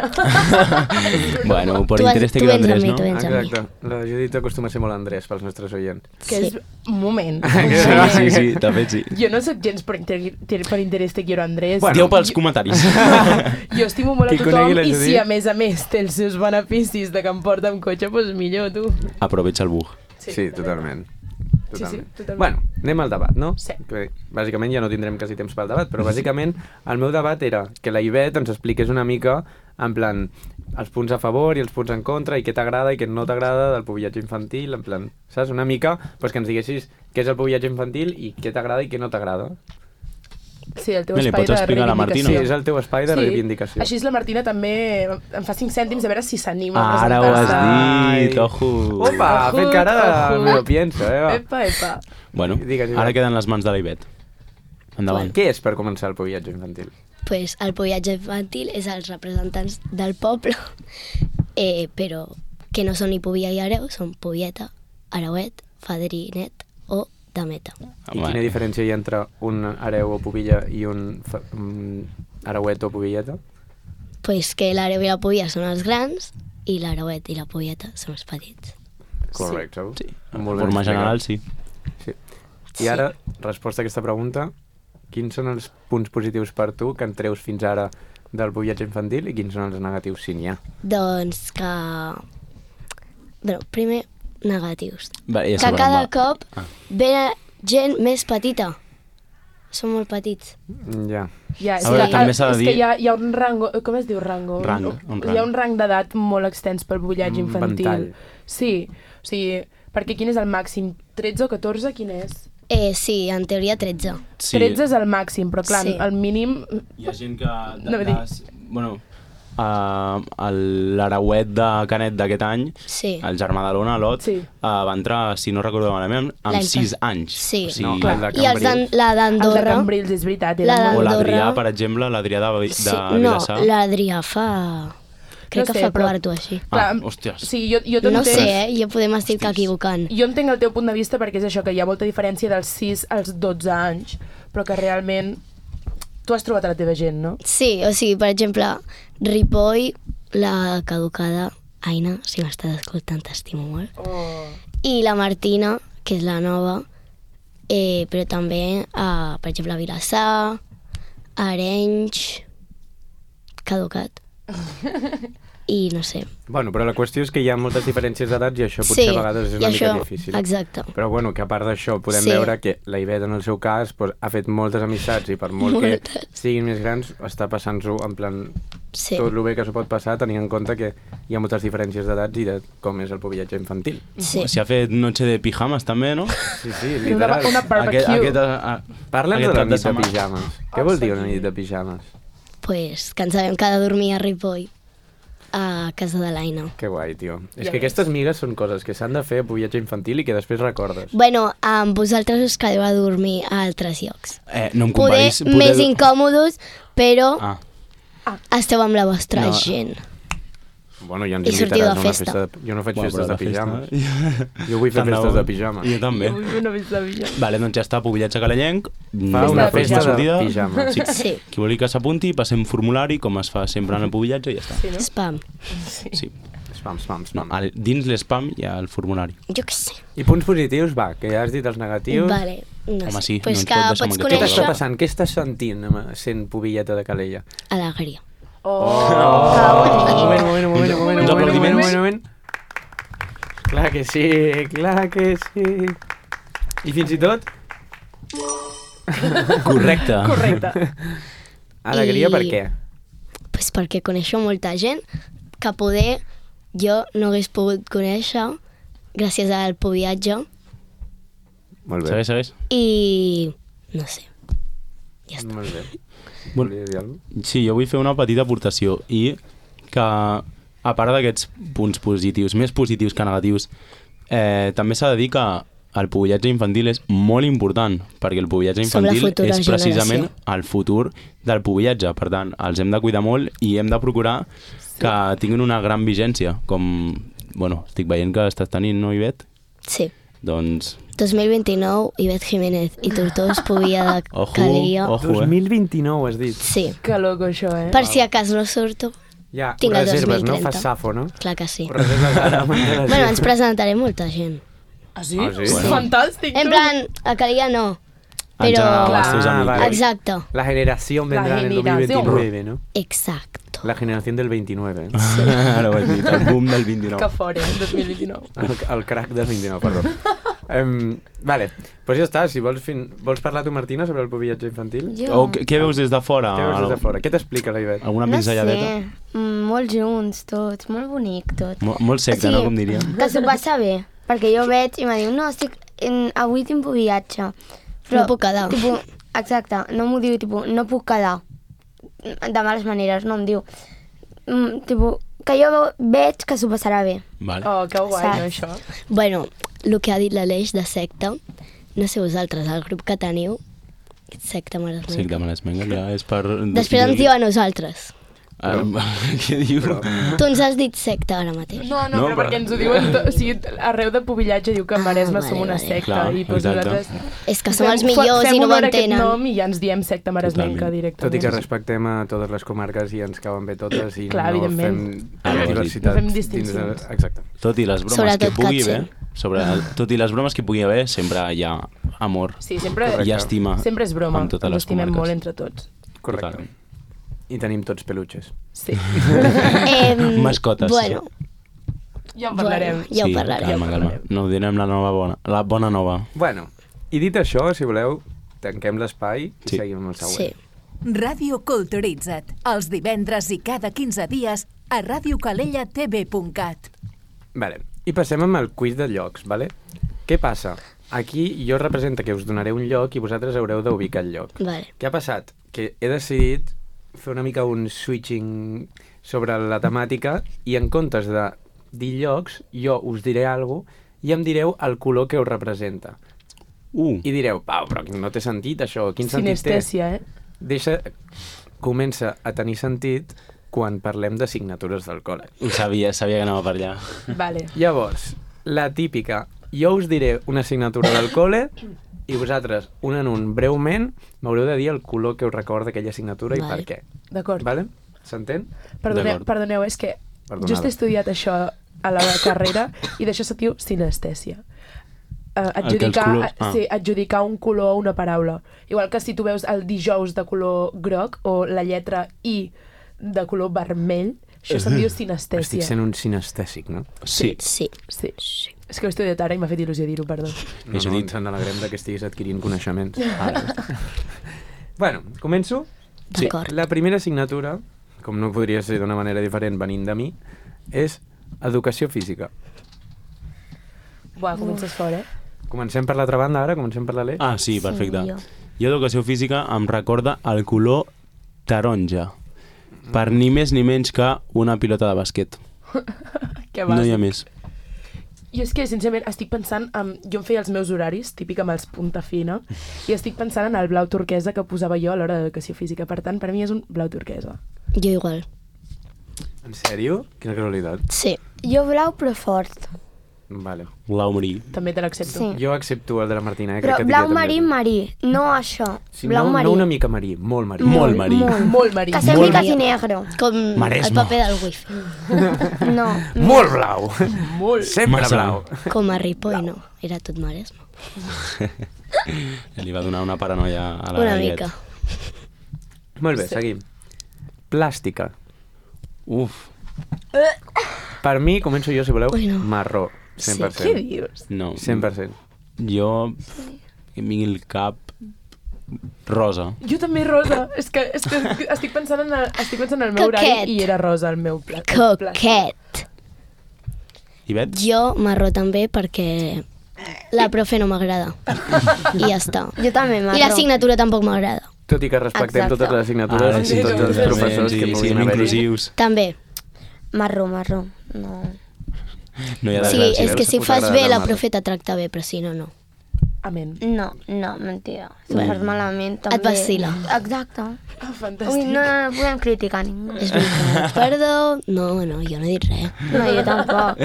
S1: Bueno, por
S5: Tu
S1: interés te
S5: tu
S1: quedo
S5: vens amb
S1: Andrés,
S5: mi,
S1: no?
S5: tu vens amb mi.
S2: Exacte. La Judit acostuma a ser molt Andrés pels nostres oients.
S3: Que
S5: Sí.
S3: és... Un moment.
S1: Sí, de fet sí.
S3: Jo no sóc gens per interès te quiero, Andrés.
S1: Dieu pels comentaris.
S3: Jo estimo molt a
S2: Qui conegui
S3: tothom
S2: la
S3: i
S2: Judit?
S3: si a més té els seus beneficis de que em porta amb cotxe, doncs millor, tu.
S1: Aprovecha el bug.
S2: Sí, totalment.
S3: Sí, sí, totalment.
S2: Bueno, anem al debat, no?
S3: Sí.
S2: Que, bàsicament ja no tindrem quasi temps pel debat, però bàsicament el meu debat era que la Ivet ens expliqués una mica en plan els punts a favor i els punts en contra i què t'agrada i què no t'agrada del pubillatge infantil, en plan, saps? Una mica pues, que ens diguessis què és el pubillatge infantil i què t'agrada i què no t'agrada.
S3: Sí, el teu
S1: Li
S3: espai
S1: pots
S3: de
S1: explicar a la Martina?
S2: Sí,
S3: reivindicació.
S2: és el teu espai de reivindicació.
S3: Així la Martina també em fa 5 cèntims a veure si s'anima a
S1: Ara ho has
S3: presentar-se.
S1: dit, ojo.
S2: Opa, ha fet cara de...
S3: Ojo.
S2: Me lo pienso, va.
S3: Epa, epa.
S1: Bueno,
S2: Digues,
S1: ara
S2: Ivet.
S1: queden les mans de la Ivet. Endavant.
S2: Què és per començar el pubillatge infantil?
S5: Pues el pubillatge infantil és els representants del poble, però que no són ni Pobia i Areu, són Pobieta, Areuet, Fadrinet o Dameta.
S2: I quina diferència hi ha entre un Areu o Pobilla i un Areuet o Pobilleta?
S5: Pues que l'Areu i la Pobia són els grans i l'Areuet i la Pobieta són els petits.
S2: Correcte.
S1: Sí, en
S2: Molt ben
S1: forma
S2: explicat.
S1: general, sí.
S2: Sí. I ara, resposta a aquesta pregunta, quins són els punts positius per tu que en treus fins ara del poblatge infantil i quins són els negatius, si n'hi ha?
S5: Doncs que... Bueno, primer, negatius.
S1: Va, ja
S5: Que
S1: sabrem,
S5: cada
S1: va.
S5: cop ve gent més petita. Són molt petits.
S2: Ja.
S3: Ja, és
S1: A veure,
S3: que,
S1: també s'ha de
S3: és que
S1: dir-
S3: hi ha un rango... Com es diu rango?
S1: Rang, un rang.
S3: Hi ha un rang d'edat molt extens pel bullatge
S2: Un
S3: infantil.
S2: ventall.
S3: Sí, o sigui, perquè quin és el màxim? 13 o 14? Quin és?
S5: Sí, en teoria 13.
S1: Sí.
S3: 13 és el màxim, però clar,
S5: Sí.
S3: el mínim...
S1: Hi ha gent que...
S3: No, vull dir-
S1: bueno, l'Arauet de Canet d'aquest any,
S5: Sí.
S1: el germà de l'Ona, l'Ot,
S3: Sí.
S1: va entrar, si no recordo malament, amb
S5: L'any
S1: 6 anys.
S5: Sí.
S1: O sigui,
S2: No,
S3: clar.
S2: el de
S5: I els la
S3: Els de
S5: d'Andorra...
S3: Cambrils, és veritat.
S5: La
S3: eren
S1: o
S3: molt-
S5: d'Andorra-
S1: l'Adrià, per exemple, l'Adrià de
S5: Sí, no,
S1: Vilassar.
S5: l'Adrià fa... Crec
S3: No
S5: que
S3: sé,
S5: fa
S3: però-
S5: quarto així.
S1: Ah,
S3: Clar,
S1: hòsties.
S3: Sí, jo
S5: No
S3: t'entenc.
S5: sé, jo podem estar equivocant.
S3: Jo entenc el teu punt de vista perquè és això, que hi ha molta diferència dels 6 als 12 anys, però que realment tu has trobat a la teva gent, no?
S5: Sí, o sigui, per exemple, Ripoll, la caducada, Aina, si m'estàs escoltant, t'estimo molt.
S3: Oh.
S5: I la Martina, que és la nova, però també, per exemple, a Vilassar, a Arenys, caducat. I no sé.
S2: Bueno, però la qüestió és que hi ha moltes diferències d'edats i això potser
S5: Sí,
S2: a vegades és
S5: i
S2: una mica
S5: això-
S2: difícil.
S5: exacte.
S2: Però bueno, que a part d'això podem
S5: Sí.
S2: veure que la Ivet en el seu cas pues, ha fet moltes amistats i per molt que
S5: Moltes.
S2: siguin més grans està passant-s'ho en plan
S5: Sí.
S2: tot el bé que s'ho pot passar tenint en compte que hi ha moltes diferències d'edats i de com és el poblatge infantil.
S5: Sí.
S1: Si ha fet noche de pijamas també, no?
S2: Sí, sí, literal.
S3: Una barbecue.
S2: Parla'ns de
S1: aquest
S2: la
S1: cap de
S2: nit de
S1: setmana.
S2: pijames. Què vol dir una nit de pijames?
S5: Pues que ens sabem que ha de dormir a Ripoll, a casa de l'Aina.
S2: Que guai, tio. És
S3: Ja
S2: que
S3: ves.
S2: aquestes migues són coses que s'han de fer a poblatge infantil i que després recordes.
S5: Bueno, amb vosaltres us quedeu a dormir a altres llocs.
S1: No em
S5: Poder
S1: comparis...
S5: més incòmodes, però
S1: Ah,
S5: esteu amb la vostra
S1: No.
S5: gent.
S2: Bueno, ja ens
S5: I sortiu
S2: invitaràs
S5: de
S2: a una
S5: festa.
S2: festa de... Jo no faig
S1: bueno,
S2: festes
S1: però
S2: de
S1: la
S2: pijames.
S1: festa-
S2: Jo vull fer
S1: Tant de
S2: festes
S1: bo.
S2: de pijames.
S1: Jo també.
S3: Vull fer una vista de
S1: Vale, doncs ja està, poblatge calallenc.
S2: Fa
S3: una
S1: la pròxima
S3: festa
S2: de pijames.
S1: Sí.
S5: Sí,
S1: Qui vulgui que s'apunti, passem formulari, com es fa sempre en el poblatge, i ja està.
S3: Sí, no?
S5: spam.
S1: Sí.
S2: Spam, spam,
S1: No,
S2: spam.
S1: dins l'espam hi ha el formulari.
S5: Jo què sé.
S2: I punts positius, va, que ja has dit els negatius.
S5: Vale, no
S1: Home,
S5: sé.
S1: sí,
S5: pues
S1: no ens
S5: que
S1: pot deixar
S5: pots
S1: amb aquest
S2: Què t'està
S5: conèixer
S2: passant? Què estàs sentint sent pobilleta de Calella?
S5: alegria.
S1: Uns aplaudiments.
S2: Clar que sí, clar que sí. I fins i tot,
S1: Correcte.
S3: Correcte.
S2: alegria
S5: I-
S2: per què?
S5: Pues perquè coneixo molta gent que poder jo no hagués pogut conèixer gràcies al viatge
S2: Molt bé.
S1: Segueix, segueix.
S5: i no sé. Ja està.
S2: Molt bé.
S1: Bueno.
S2: Volia dir alguna cosa?
S1: Sí, jo vull fer una petita aportació i que, a part d'aquests punts positius, més positius que negatius, també s'ha de dir que el poblatge infantil és molt important, perquè el poblatge
S5: Som la
S1: infantil
S5: futura
S1: és precisament
S5: generació.
S1: el futur del poblatge. Per tant, els hem de cuidar molt i hem de procurar que tinguin una gran vigència, com, bueno, estic veient que estàs tenint, no, Ivet?
S5: Sí.
S1: Doncs,
S5: 2029, Ivet Jiménez i Tortós Pobia de
S1: Ojo,
S5: Calella.
S1: ojo.
S2: 2029 has dit.
S5: Sí.
S3: Que loco, això, eh?
S5: Per si a cas no surto,
S2: Ja,
S5: Tinc el
S2: reserves, no?
S5: 2030.
S2: Fas safo, no?
S5: clar que sí.
S2: Reserves ara.
S5: Bueno, ens presentaré molta gent.
S3: Ah, sí?
S2: Ah, sí?
S3: És
S2: Bueno.
S3: fantàstic.
S5: En
S3: tu.
S5: plan, a Calella no.
S1: en
S5: Però...
S1: general, els teus
S3: Clar.
S1: amics.
S2: Vale.
S5: Exacte.
S2: La generación vendrá en el
S3: generación.
S2: 2029, ¿no?
S5: Exacto.
S2: La generación del 29.
S1: Ara ho has dit, el boom del
S3: Que
S1: 29.
S3: fort, eh? 2029.
S2: El crack del 29, perdó. Vale, doncs ja està. Si vols parlar tu, Martina, sobre el poblatge infantil?
S1: O què veus des de fora?
S2: Què veus des de fora? Què t'explica la Ivet?
S1: Alguna
S6: No
S1: pinzelladeta?
S6: sé, molt junts tots, molt bonic tot.
S1: Molt secta, no? Com diríem.
S6: Que s'ho passa bé, perquè jo veig i me diu, no, avui tinc viatge.
S5: No puc quedar.
S6: Tipus, exacte, no m'ho diu, tipus, no puc quedar. De males maneres, no em diu. Tipus, que jo veig que s'ho passarà bé.
S1: Vale.
S3: Oh, que guai,
S6: Saps?
S3: no, això?
S5: Bueno, el que ha dit l'Aleix de secta, no sé vosaltres, el grup que teniu, secta Maresmenca.
S1: Sí, que me les mengues, ja és per...
S5: Després ens diu a nosaltres.
S1: Què diu?
S5: Tu ens has dit secta ara mateix.
S3: No,
S1: No,
S3: però perquè ens ho diuen... O sigui, arreu de Pubillatge diu que a Maresme som una secta.
S1: Clar,
S3: I doncs
S1: exacte.
S3: nosaltres...
S5: És que som els millors
S3: fem
S5: i no ho
S3: honor a aquest
S5: entenen.
S3: nom i ja ens diem secta maresmenca
S1: Totalment.
S3: directament.
S2: Tot i que respectem a totes les comarques i ens cauen bé totes i
S3: Clar,
S2: no
S3: evidentment.
S2: fem diversitat.
S3: No fem
S2: dins
S3: distincions.
S2: Exacte.
S1: Tot i les bromes
S5: Sobretot
S1: que pugui
S5: Katze.
S1: haver, tot i les bromes que pugui haver, sempre hi ha amor
S3: Sí, sempre,
S1: i estima
S3: sempre és broma.
S1: amb totes
S3: Ens
S1: les
S3: estimem
S1: comarques.
S3: molt entre tots.
S2: Correcte.
S1: Totalment.
S2: I tenim tots peluches.
S3: Sí.
S1: Mascotes.
S5: Bueno,
S3: Ja en parlarem.
S5: ja ho
S1: Sí,
S5: parlarem.
S1: calma. No ho direm la bona nova.
S2: Bueno, i dit això, si voleu, tanquem l'espai i
S1: Sí.
S2: seguim amb el següent.
S5: Sí.
S7: Ràdio Culturitza't, els divendres i cada 15 dies a radiocalellatv.cat.
S2: Vale. I passem amb el quiz de llocs, vale? Què passa? Aquí jo representa que us donaré un lloc i vosaltres haureu d'ubicar el lloc.
S5: Vale.
S2: Què ha passat? Que he decidit fer una mica un switching sobre la temàtica i en comptes de dir llocs, jo us diré alguna cosa i em direu el color que us representa. I direu, Pau, però no té sentit això, quin sentit té?
S3: Sinestèsia,
S2: Comença a tenir sentit quan parlem de signatures del col·le.
S1: Sabia que anava per allà.
S3: Vale.
S2: Llavors, la típica, jo us diré una assignatura del col·le i vosaltres, un en un, breument, m'haureu de dir el color que us recorda aquella assignatura i per què.
S3: D'acord.
S2: Vale? S'entén?
S3: Perdoneu, és que
S2: Perdonada.
S3: just he estudiat això a la carrera i d'això se diu sinestèsia. Adjudicar un color a una paraula. Igual que si tu veus el dijous de color groc o la lletra I de color vermell, això se'n diu sinestèsia.
S2: Estic sent un sinestèsic, no?
S1: Sí.
S5: Sí.
S3: Sí. És que ho he estudiat ara i m'ha fet il·lusió dir-ho, perdó.
S2: No, ens n'alegrem que estiguis adquirint coneixements. Bueno, començo?
S5: D'acord.
S2: La primera assignatura, com no podria ser d'una manera diferent venint de mi, és educació física.
S3: Buah, comences fort, eh?
S2: Comencem per l'altra banda ara? Comencem per l'Aleix?
S1: Ah, sí, perfecte.
S5: jo.
S1: Jo d'educació física em recorda el color taronja. Per ni més ni menys que una pilota de bàsquet.
S3: Que
S1: No hi ha més.
S3: Jo és que, sincerament, estic pensant... jo em feia els meus horaris, típic amb els punta fina, i estic pensant en el blau turquesa que posava jo a l'hora d'educació física. Per tant, per mi és un blau turquesa.
S5: Jo igual.
S2: En sèrio? Quina casualitat.
S5: Sí.
S6: Jo blau, però fort.
S2: Vale.
S1: Blau marí.
S3: També te l'accepto.
S6: Sí.
S2: Jo accepto el de la Martina,
S6: Però
S2: crec que
S6: blau
S2: diria
S6: marí,
S2: també.
S6: marí. No això.
S2: Sí,
S6: Blau
S2: no,
S6: marí.
S2: no una mica marí, molt marí.
S1: Molt marí.
S3: Molt marí.
S6: Que sembli quasi negre.
S5: Com el
S1: Maresme.
S5: paper del wifi.
S6: No.
S2: Molt blau!
S3: Molt.
S2: Sempre
S1: Massa.
S2: blau.
S5: Com a Ripoll, no. Era tot Maresme.
S1: Li va donar una paranoia a la
S5: Una
S1: Gallet.
S5: mica.
S2: Molt bé, seguim. Plàstica.
S1: Uf,
S2: Per mi, començo jo, si voleu,
S5: Ui, no.
S2: marró. 100%.
S3: Què dius?
S1: no.
S2: 100%.
S1: Jo, que em vingui el cap rosa.
S3: Jo també rosa. És que estic pensant en el meu horari
S5: Coquet.
S3: i era rosa el meu pla.
S5: Coquet.
S1: I vet?
S5: Jo marró també perquè la profe no m'agrada. I ja està.
S6: Jo també, marró.
S5: I l'assignatura tampoc m'agrada.
S2: Tot i que respectem
S6: Exacte.
S2: totes les assignatures i tots els professors que
S1: sí,
S2: puguin
S1: siguem
S2: haver-hi.
S1: inclusius.
S5: També.
S6: Marró. No.
S1: No hi ha de
S5: Sí,
S1: res.
S5: és que si
S2: us
S5: fas
S2: agrada
S5: bé
S2: el
S5: la
S2: marró.
S5: profe te tracta bé, però si no, no.
S3: Amén.
S6: No, mentida. Si ho fas malament, també...
S5: Et vacila.
S6: Exacte.
S3: Ah, fantàstic.
S6: Ui, no podem criticar ningú.
S5: És veritat. Perdó. No, jo no he dit res.
S6: No, jo tampoc.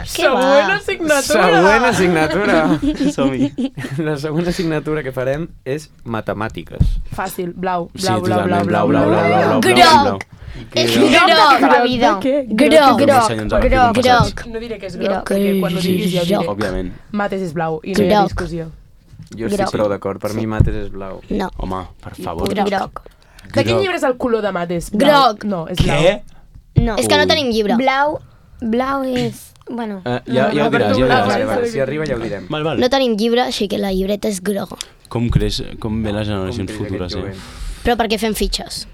S3: Següent assignatura.
S2: Següent assignatura.
S1: Som-hi.
S2: La següent assignatura que farem és matemàtiques.
S3: Fàcil. Blau.
S1: Sí,
S3: Blau, blau, blau,
S1: totalment.
S3: blau,
S1: Blau, blau, blau, blau,
S5: Groc.
S1: blau.
S5: És
S6: Groc de tota la
S5: groc.
S6: vida.
S3: De què?
S5: Groc.
S6: Groc.
S5: Groc.
S3: No diré que és groc,
S6: Groc.
S3: perquè quan ho diguis ja ho diré.
S1: Òbviament.
S3: Mates és blau i no hi ha
S5: Groc.
S3: discussió.
S2: Jo estic
S6: Groc.
S2: prou d'acord. Per mi mates és blau.
S5: No.
S1: Home, per favor.
S6: Groc.
S3: De quin llibre és el color de mates?
S5: Groc.
S3: No, és blau.
S1: Què?
S6: No.
S5: És que no tenim llibre.
S6: Blau és... Bueno,
S1: Ja ho diràs, ja ho
S2: Vale,
S1: diràs.
S2: vale, si arriba ja ho direm.
S1: Val.
S5: No tenim llibre, així que la llibreta és groga.
S1: Com ve les generacions
S2: Com creix
S1: futures,
S2: aquest jovent?
S5: Però perquè fem fitxes.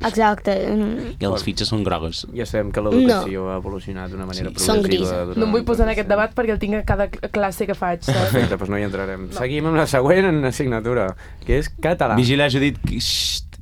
S6: exacte.
S1: I els fitxes són grogues.
S2: Ja sabem que l'educació ha evolucionat d'una manera
S5: Sí, són
S2: progressiva.
S5: grises.
S2: durant
S3: No em vull posar en
S2: tot
S3: aquest
S2: el
S3: debat perquè el tinc a cada classe que faig, saps?
S2: Perfecte, doncs no hi entrarem. Seguim amb la següent assignatura, que és català.
S1: Vigila, Judit. Xxt.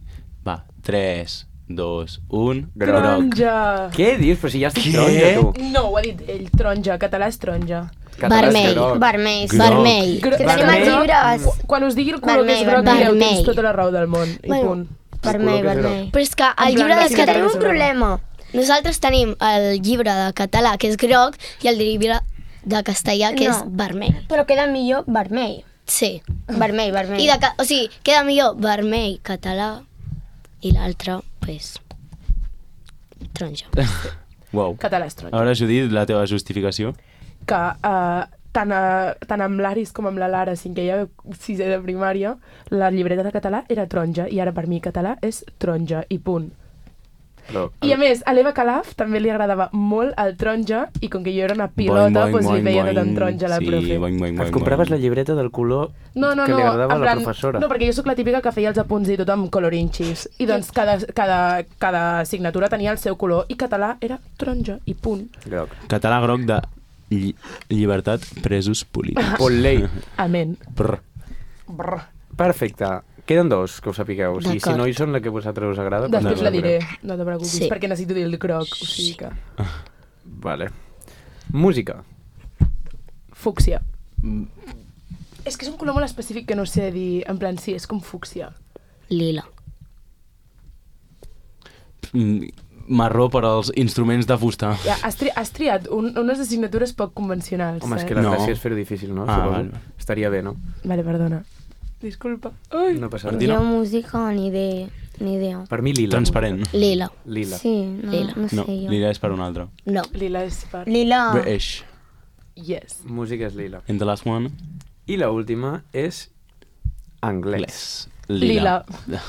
S1: Va, 3, 2, 1...
S2: Groc.
S3: Taronja.
S2: Què dius? Però si ja estic
S1: Què?
S2: taronja, tu.
S3: No, ho ha dit ell, taronja. Català és taronja.
S2: Català és
S5: Vermell.
S2: groc.
S6: Vermell.
S1: Groc.
S5: Vermell.
S3: Gro
S6: Que tenim els
S2: Vermell.
S6: llibres.
S3: Quan us digui el color que és
S6: Vermell,
S3: groc, direu,
S5: vermell.
S3: tens tota la raó del món. I
S5: Bueno.
S3: punt.
S6: Vermell, vermell.
S5: Però és que el
S3: En plan,
S5: llibre de
S3: sí,
S6: Que tenim
S5: català...
S6: un problema.
S5: Nosaltres tenim el llibre de català, que és groc, i el llibre de castellà, que és vermell.
S6: Però queda millor vermell.
S5: Sí.
S6: Vermell, vermell.
S5: I o sigui, queda millor vermell, català, i l'altre, pues, taronja.
S1: Uau.
S3: Català és taronja.
S1: Ara, Judit, la teva justificació?
S3: Que tant amb l'Aris com amb la Lara, cinquè i sisè de primària, la llibreta de català era taronja, i ara per mi català és taronja, i punt.
S2: Però,
S3: I a més, a l'Eva Calaf també li agradava molt el taronja, i com que jo era una pilota, doncs li veia tot en taronja a la profe.
S2: et compraves la llibreta del color
S3: No,
S2: que li agradava a
S3: en
S2: la
S3: plan,
S2: professora.
S3: No, perquè jo sóc la típica que feia els apunts i tot amb colorinxis. I doncs cada assignatura tenia el seu color, i català era taronja, i punt.
S2: Groc.
S1: Català groc de llibertat, presos polítics.
S2: Olé.
S3: Amén.
S1: Brr.
S3: Brr.
S2: Perfecte. Queden dos, que ho sapigueu. O sigui, si
S5: D'acord.
S2: no hi són la que a vosaltres us agrada...
S3: Després
S2: doncs
S3: la
S2: no
S3: diré,
S2: veureu.
S3: no te preocupis,
S5: Sí.
S3: perquè necessito dir el groc, o sigui que...
S2: Vale. Música.
S3: Fúcsia. És que és un color molt específic que no sé dir, en plan, sí, és com fúcsia.
S5: Lila.
S1: Marró per als instruments de fusta.
S3: Ja, has triat unes assignatures poc convencionals,
S2: Home, és que la
S1: No.
S2: gràcia és fer-ho difícil, no?
S1: Ah,
S2: Suposo.
S1: vale.
S2: Estaria bé, no?
S3: Vale, perdona. Disculpa. Ai.
S2: No passa
S1: Martina.
S2: res.
S6: Jo música ni idea.
S2: Per mi lila.
S1: Transparent.
S5: Lila.
S2: Lila.
S6: Sí, no,
S5: Lila.
S6: no sé
S1: No,
S6: jo.
S1: lila és per un altre.
S5: No.
S3: Lila és per...
S6: Lila.
S1: British.
S3: Yes.
S2: Música és lila.
S1: And the last one?
S2: I la última és anglès.
S1: Les.
S3: Lila.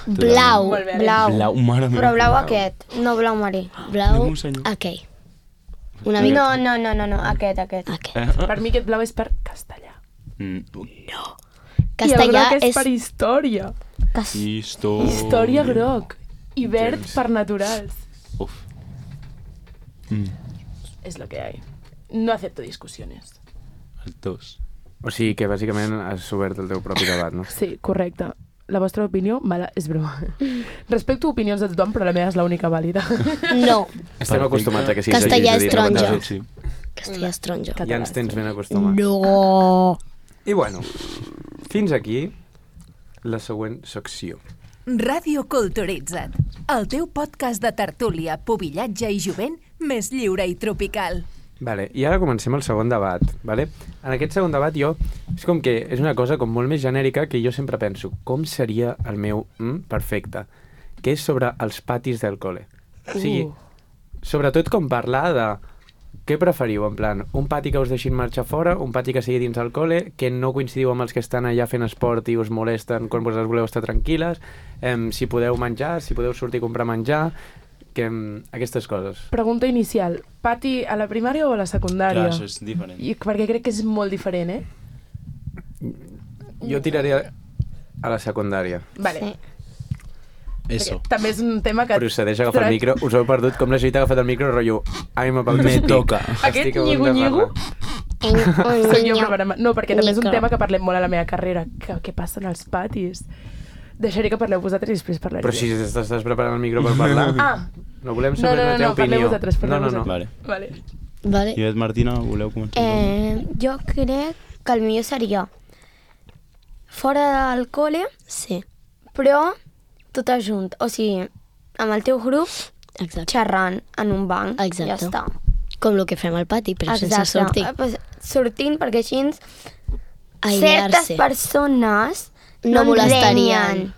S5: Blau.
S3: Molt bé.
S6: Blau.
S1: Blau, mare meva.
S6: Però blau aquest, no blau marí.
S5: Blau,
S1: Déu senyor.
S5: aquell. Una mica...
S6: No, aquest.
S5: Aquell.
S3: Per mi aquest blau és per castellà.
S5: Castellà
S3: I el groc és
S5: és...
S3: per història. Història groc. I verd
S2: Gens.
S3: per naturals.
S1: Uf.
S3: És lo que hay. No acepto discussiones.
S1: Els dos.
S2: O sigui que bàsicament has obert el teu propi debat, no?
S3: Sí, correcte. La vostra opinió, mala, és broma. Respecto opinions de tothom, però la meva és l'única vàlida.
S5: No.
S2: Estem acostumats a que sigui
S5: Castellà és taronja.
S1: Sí.
S5: Castellà és taronja.
S2: Ja ens tens ben acostumats.
S5: No.
S2: I bueno, fins aquí la següent secció.
S7: Ràdio Culturitza't, el teu podcast de tertúlia, pubillatge i jovent més lliure i tropical.
S2: Vale, i ara comencem el segon debat. Vale? En aquest segon debat jo... És com que és una cosa com molt més genèrica que jo sempre penso com seria el meu perfecte, que és sobre els patis del col·le. O sigui, sobretot com parlar de què preferiu, en plan, un pati que us deixin marxar fora, un pati que sigui dins del col·le, que no coincidiu amb els que estan allà fent esport i us molesten quan vosaltres voleu estar tranquil·les, si podeu menjar, si podeu sortir a comprar menjar, que aquestes coses.
S3: Pregunta inicial. Pati a la primària o a la secundària?
S1: Clar, això és diferent.
S3: I perquè crec que és molt diferent, eh?
S2: Jo tiraré a la secundària.
S3: Vale.
S6: Sí.
S1: Eso.
S3: Perquè també és un tema que...
S2: Procedeix a agafar el micro. Us heu perdut com la Judit ha agafat el micro, rotllo... Ai,
S1: Me toca.
S3: Aquest nyigo-nyigo soc jo
S5: Niño.
S3: programa. No, perquè també és un
S5: Nico.
S3: tema que parlem molt a la meva carrera. Què passa en els patis? Deixaré que parleu vosaltres i després parlaré.
S2: Però si estàs preparant el micro per parlar...
S3: Ah,
S2: No volem
S3: no,
S2: saber la teva
S3: parleu
S2: opinió.
S3: vosaltres, parleu
S2: no.
S3: vosaltres.
S1: Vale.
S3: Vale.
S5: Vale.
S1: I et, Martina, voleu començar?
S6: Jo crec que el millor seria fora del col·le,
S5: Sí,
S6: però tot junt. O sigui, amb el teu grup,
S5: exacte.
S6: xerrant en un banc.
S5: Exacte.
S6: Ja està.
S5: Com el que fem al pati, però sense sortir.
S6: Pues, sortint, perquè així certes
S5: Aïllar-se.
S6: persones
S5: No
S6: ens
S5: molestarien.
S6: renyen.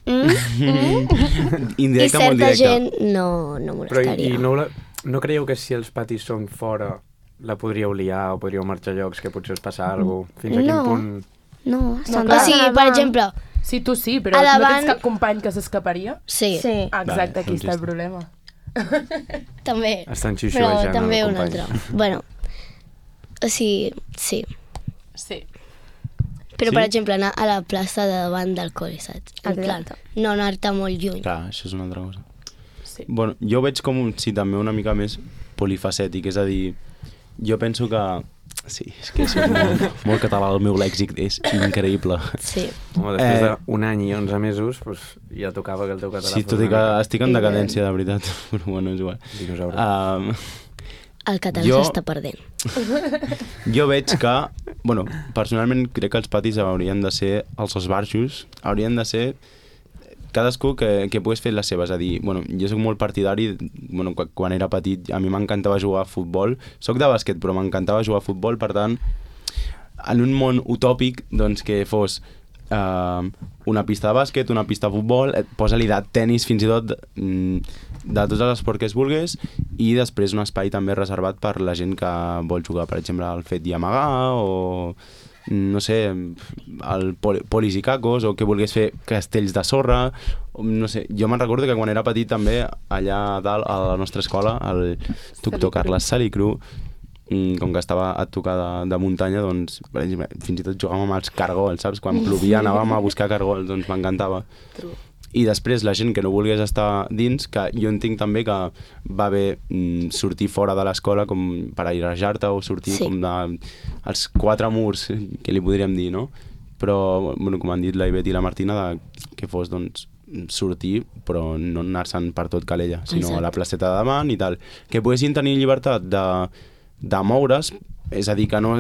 S6: Mm?
S5: I
S1: Indirecte, molt
S5: certa
S1: directe.
S5: gent no
S2: Però
S5: molestaria.
S2: no creieu que si els patis són fora la podríeu liar o podríeu marxar a llocs que potser us passa alguna cosa? Fins a quin
S6: No.
S2: punt...
S6: No,
S3: No,
S5: O
S3: clar.
S5: sigui, per exemple,
S3: Sí, tu sí, però
S5: A
S3: no
S5: davant-
S3: tens cap company que s'escaparia?
S5: sí,
S6: Sí.
S3: Ah, exacte,
S1: Vale,
S3: aquí està el
S1: un
S3: problema.
S5: també.
S2: Estan
S5: Però
S2: xiuxiuejant
S5: també
S2: el
S5: un
S2: company.
S5: altre. Bueno, o sigui, sí.
S3: Sí.
S5: Però,
S1: Sí?
S5: per exemple, anar a la plaça de davant del col·le, saps? En plan,
S6: Exacte.
S5: no anar-te molt lluny.
S1: Clar, això és una altra cosa.
S3: Sí.
S1: Bueno, jo veig com, sí, també una mica més polifacètic, és a dir, jo penso que... Sí, és que és molt català, el meu lèxic és increïble.
S5: Sí.
S2: Home, després d'un any i 11 mesos, pues, ja tocava que el teu català
S1: Sí,
S2: fos
S1: tot i
S2: una
S1: que
S2: mica
S1: estic en decadència, de veritat, però bueno, és igual.
S2: dinosaure.
S5: El català
S1: Jo-
S5: s'està perdent.
S1: Jo veig que, bueno, personalment crec que els patis haurien de ser, els esbarjos, haurien de ser cadascú que pogués fer les seves, a dir, bueno, jo soc molt partidari, bueno, quan era petit a mi m'encantava jugar a futbol, soc de bàsquet però m'encantava jugar a futbol, per tant en un món utòpic doncs que fos una pista de bàsquet, una pista de futbol, posa-li de tennis fins i tot, de tots els esports que es vulgués, i després un espai també reservat per la gent que vol jugar, per exemple, al fet i amagar, o no sé, el polis i cacos, o que volgués fer castells de sorra, no sé. Jo me'n recordo que quan era petit també, allà dalt a la nostra escola, el doctor Carles Salicru, com que estava a tocar de muntanya, doncs fins i tot jugàvem amb els cargols, saps? Quan plovia anàvem a buscar cargols, doncs m'encantava. I després la gent que no volgués estar dins, que jo entenc també que va bé sortir fora de l'escola com per airejar-te o sortir com dels 4 murs, que li podríem dir, no? Però, bueno, com han dit la Ivet i la Martina, que fos, doncs, sortir, però no anar-se'n per tot Calella, sinó a la placeta de davant i tal. Que poguessin tenir llibertat de moure's, és a dir, que no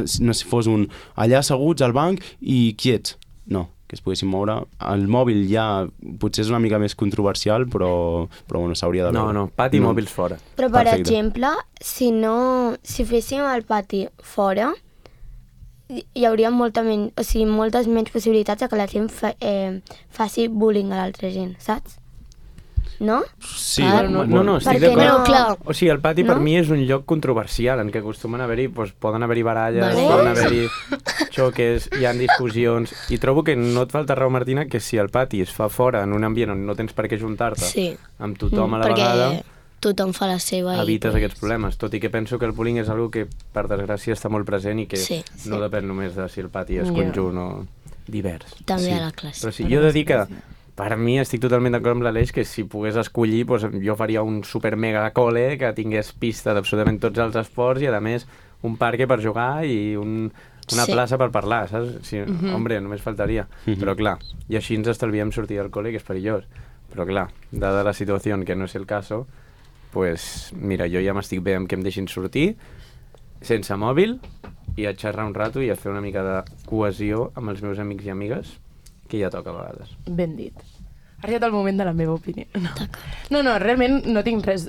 S1: fos un allà asseguts al banc i quiets, no, que es poguessin moure. El mòbil ja potser és una mica més controversial, però bueno, s'hauria de veure.
S2: No, pati i mòbils fora.
S6: Però, per exemple, si féssim el pati fora, hi hauria moltes menys possibilitats de que la gent faci bullying a l'altra gent, saps? No?
S1: Sí,
S2: no, estic d'acord.
S6: No, clar.
S2: O sigui, el pati per mi és un lloc controversial en què acostumen a haver-hi, doncs, poden haver-hi baralles, poden haver-hi xoques, hi ha discussions, i trobo que no et falta raó, Martina, que si el pati es fa fora en un ambient on no tens per què juntar-te amb tothom a la vegada,
S5: tothom fa la seva
S2: evites aquests problemes, tot i que penso que el bullying és una que, per desgràcia, està molt present i que no depèn només de si el pati és conjunt o divers.
S5: També a la classe.
S2: Però sí, jo he de dir que per mi estic totalment d'acord amb l'Aleix que si pogués escollir, doncs, jo faria un super mega col·le que tingués pista d'absolutament tots els esports i a més un parc per jugar i una plaça per parlar, saps? Sí, hombre, només faltaria. Però clar, i així ens estalviem sortir del col·le, que és perillós. Però clar, dada la situació que no és el cas, pues mira, jo ja m'estic bé amb que em deixin sortir sense mòbil i a xerrar un rato i a fer una mica de cohesió amb els meus amics i amigues, que ja toca a vegades.
S3: Ben dit. Ha arribat el moment de la meva opinió. No, realment no tinc res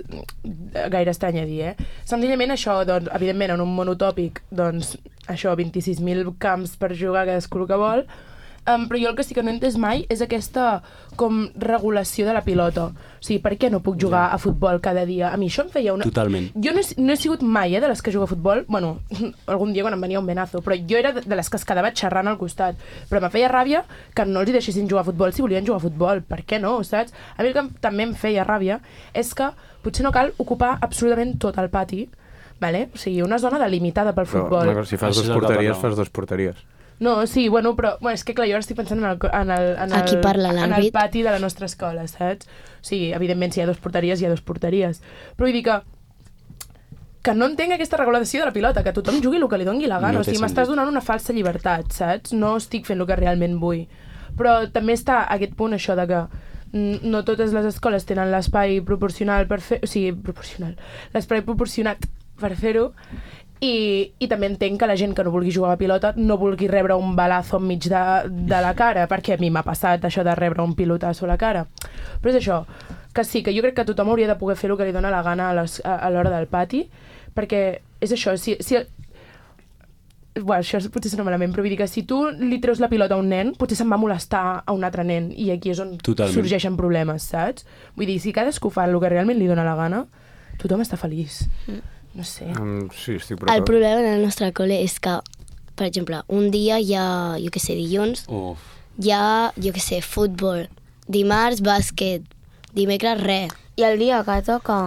S3: gaire estrany a dir, Senzillament això, doncs, evidentment, en un món utòpic, doncs, això, 26.000 camps per jugar cadascú que vol, però jo el que sí que no he entès mai és aquesta com regulació de la pilota. O sigui, per què no puc jugar a futbol cada dia? A mi això em feia una...
S1: Totalment.
S3: Jo no he sigut mai de les que juga a futbol, bueno, algun dia quan em venia un venazo, però jo era de les que es quedava xerrant al costat. Però me feia ràbia que no els hi deixessin jugar a futbol si volien jugar a futbol. Per què no, saps? A mi el que també em feia ràbia és que potser no cal ocupar absolutament tot el pati, vale? O sigui, una zona delimitada pel futbol.
S2: Però si fas 2 porteries, fas 2 porteries.
S3: No, sí, bueno, però és que clar, jo ara estic pensant en el pati de la nostra escola, saps? O sigui, evidentment, si hi ha 2 porteries, hi ha 2 porteries. Però vull dir que no entenc aquesta regulació de la pilota, que tothom jugui el que li doni la gana. O sigui, m'estàs donant una falsa llibertat, saps? No estic fent el que realment vull. Però també està aquest punt, això de que no totes les escoles tenen l'espai proporcional per fer... O sigui, l'espai proporcionat per fer-ho. I també entenc que la gent que no vulgui jugar a la pilota no vulgui rebre un balazo enmig de la cara, perquè a mi m'ha passat això de rebre un pilotasso a la cara. Però és això, que sí, que jo crec que tothom hauria de poder fer el que li dona la gana a l'hora del pati, perquè és això, bueno, això potser sona malament, però vull dir que si tu li treus la pilota a un nen, potser se'n va molestar a un altre nen, i aquí és on sorgeixen problemes, saps? Vull dir, si cadascú fa el que realment li dona la gana, tothom està feliç. No sé.
S2: Sí, estic preocupat.
S5: El problema en el nostre col·le és que, per exemple, un dia hi ha, jo què sé, dilluns, hi ha, jo què sé, futbol, dimarts, bàsquet, dimecres, res.
S6: I el dia que toca